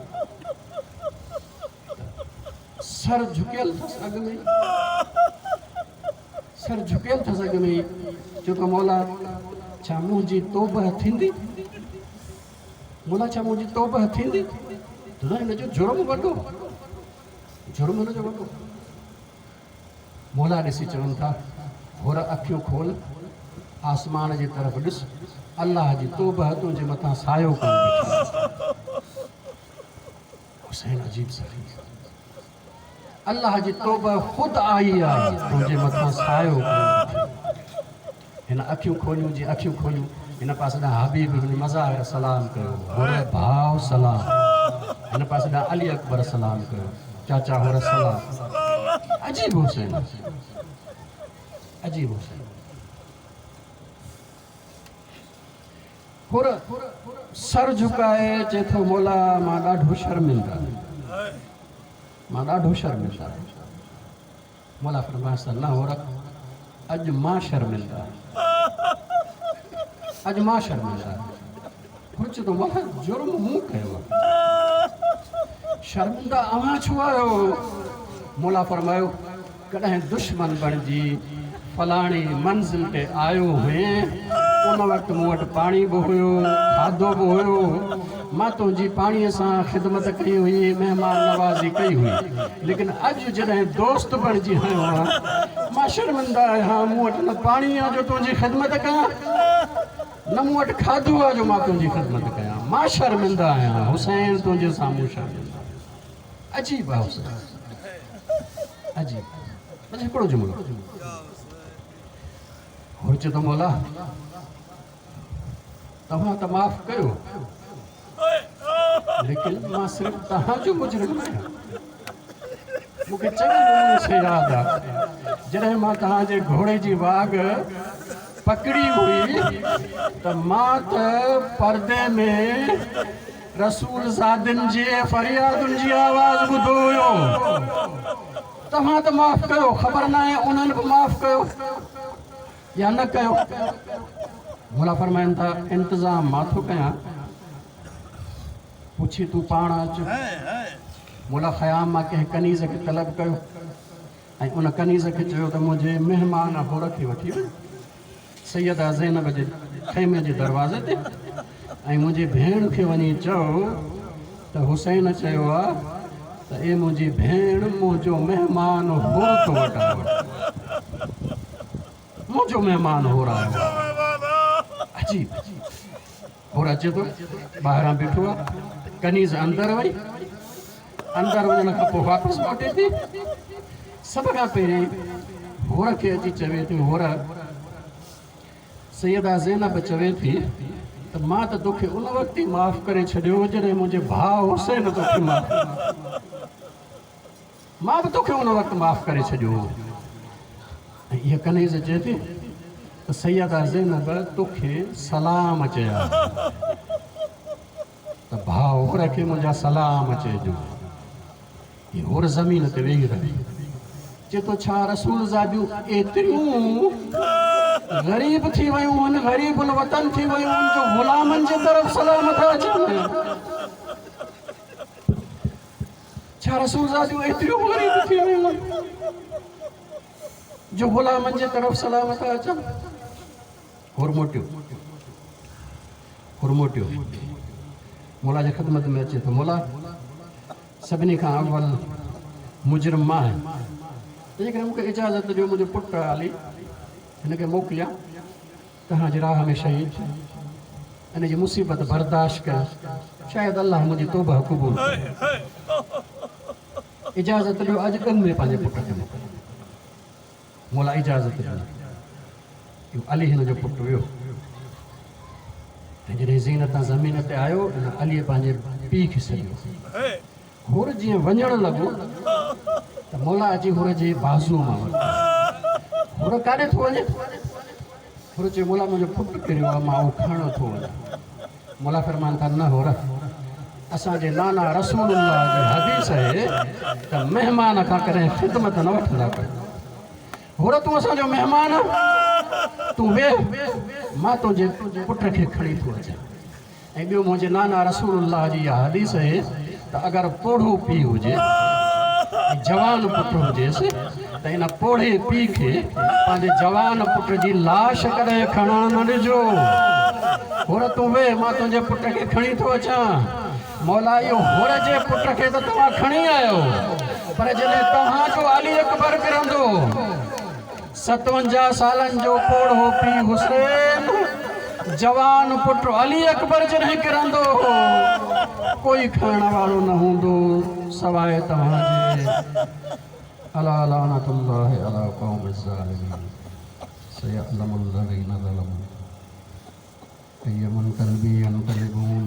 سر جهڪيل اٿس اڳ ۾ سر جهڪيل اٿس اڳ ۾ ئي چيو ته مولا ڇا منهنجي توبهه ٿيندي؟ مولا ڇا منهنجي توبهه ٿيندي؟ ته هن جو جرم وڏو جرم هن جو وڏو. مولا ڏسي چون ٿا، حر اکيون کول، آسمان جي طرف ڏس، الله جي توبهه تنهنجي مٿان سايو ڪيو بيٺي آهي. حسين عجيب سخي. الله جي توبهه خود آئي آهي، تنهنجي مٿان سايو ڪيو بيٺي آهي. هن اکيون کوليون، جي اکيون کوليون، هن پاسي ڏانهن حبيب بن مظاهر سلام ڪيو، حر ڀاء سلام. هن پاسي ڏانهن علي اڪبر سلام ڪيو، چاچا حر سلام. عجيب حسين، عجيب حسين. حر سر جهڪائي چئي ٿو، مولا مان ڏاڍو شرمنده آهيان، مان ڏاڍو شرمنده آهيان. مولا فرمايس ته نه عورت اڄ مان شرمنده آهيان اڄ مان شرمنده آهيان هو چئي ٿو مولا جرم مون ڪيو آهي شرمنده اوهان ڇو آهيو مولا فرمايو ڪڏهن دشمن بڻجي فلاڻي منزل تي آيو هئين، ان وقت مون وٽ پاڻي به هيو، کاڌو به هيو، مان تنهنجي پاڻيء سان خدمت ڪئي هئي، مهمان نوازي ڪئي هئي، ليڪن اڄ جڏهن دوست بڻجي آيو آهيان، مان شرمنده آهيان، مون وٽ نه پاڻي آهي جو تنهنجي خدمت ڪيان، نه مون وٽ کاڌو آهي جو مان تنهنجي خدمت ڪيان، مان شرمنده آهيان، حسين تنهنجي سامهون شرمنده آهيان. عجيب آهي حسين، عجيب. بس هڪڙو جملو هو چئي ٿو مولا توهان ته معاف ڪيو ليڪن مان صرف توهان جو مجرم نه آهيان مون کي چڱي نموني سان ياد آهي جڏهن مان توهان جي گهوڙي جي واڳ پڪڙي هئي ته مان ته پردي ۾ رسول زادن جي فريادن جي آواز ٻڌو هيو. توهان ته معاف ڪيو، خبر ناهي انهن به معاف ڪيو يا نه ڪيو. مولا فرمائن ٿا، انتظام مان ٿو ڪيان، پڇي تون پاڻ اچ. مولا خيام مان ڪنهن ڪنيز کي طلب ڪيو ۽ ان ڪنيز کي چيو ته منهنجي مهمان حر کي وٺي وڃ سيده زينب جي خيمي جي دروازي تي ۽ منهنجي ڀيڻ کي وڃي چئو ته حسين چيو آ ته اي منهنجي ڀيڻ منهنجو مهمان حر تو وٽ آيو آهي منهنجو مهمان حر آيو آهي. عجيب حر اچي ٿو ٻاهران بيٺو آ ڪنيز اندر وئي اندر وڃڻ کان پوء واپس موٽي ٿي. سڀ کان پهرين حور کي اچي چوي ٿي، حور! سيده زينب چوي ٿي ته مان ته توکي ان وقت ئي معاف ڪري ڇڏيو هو جڏهن منهنجي ڀاء حسين توکي معاف ڪيو. مان به توکي ان وقت معاف ڪري ڇڏيو هو. ۽ اها ڪنيز چئي ٿي ته سيده زينب توکي سلام چيا آهن. ته ڀاء حور کي منهنجا سلام چئجو. هي حور زمين تي ويهي رهي. چئي ٿو ڇا رسول زاديون ايتريون غريب ٿي ويون هن، غريب الوطن ٿي ويون هن جو غلامن جي طرف سلام ٿا اچن. ڇا رسول زاديون ايتريون غريب ٿي ويون هن جو غلامن جي طرف سلام ٿا اچن. حور موٽيو. حر موٽيو مولا جي خدمت ۾ اچي ٿو، مولا! سڀني کان اول مجرم مان آهيان، تنهنجي ڪري مون کي اجازت ڏيو منهنجو پٽ علي هن کي موڪليان توهان جي راهه ۾ شهيد ٿئي، ان جي مصيبت برداشت ڪيان، شايد الله منهنجي توبهه قبول ڪري. اجازت ڏيو اڄ ڳن ۾ پنهنجي پٽ کي موڪليان. مولا اجازت ڏني. اهو علي هن جو پٽ ويو ۽ جڏهن زين تان زمين تي آيو ان عليء پنهنجي پيء کي سڏيو. حر جيئن وڃڻ لڳو ته مولا اچي حر جي بازوء مان ورتو. حر ڪاڏي ٿو وڃين؟ حر چيو مولا منهنجو پٽ ڪريو آهي مان اهو کڻڻ ٿو وڃان. مولا فرمائن ٿا نه حر اسان جي نانا رسول الله جي حديث آهي ته مهمان کان ڪڏهن خدمت نه وٺندا ڪيو. حر تون اسان جو مهمان آهين تون ويهه مان تنهنجي پٽ کي کڻي ٿو اچان. ۽ ٻيو منهنجي نانا رسول الله جي اها حديث اهي ته اگر پوڙهو پيء هجي ۽ جوان پٽ هجيس ته ان پوڙهي پيء کي پنهنجي جوان پٽ جي لاش ڪڏهن کڻڻ نه ڏجو. حر تون ويهه مان تنهنجي پٽ کي کڻي ٿو اچان. مولا اهو حر جي پٽ کي ته توهان کڻي آيو پر جڏهن توهان جو علي اڪبر ڪرندو 57 سالن جو پوڙهو پيء حسين، جوان پٽ علي اڪبر جڏهن ڪرندو هو، ڪوئي کڻڻ وارو نه هوندو سواء توهان جي. الا لعنة الله علي القوم الظالمين سيعلم الذين ظلموا اي منقلب ينقلبون.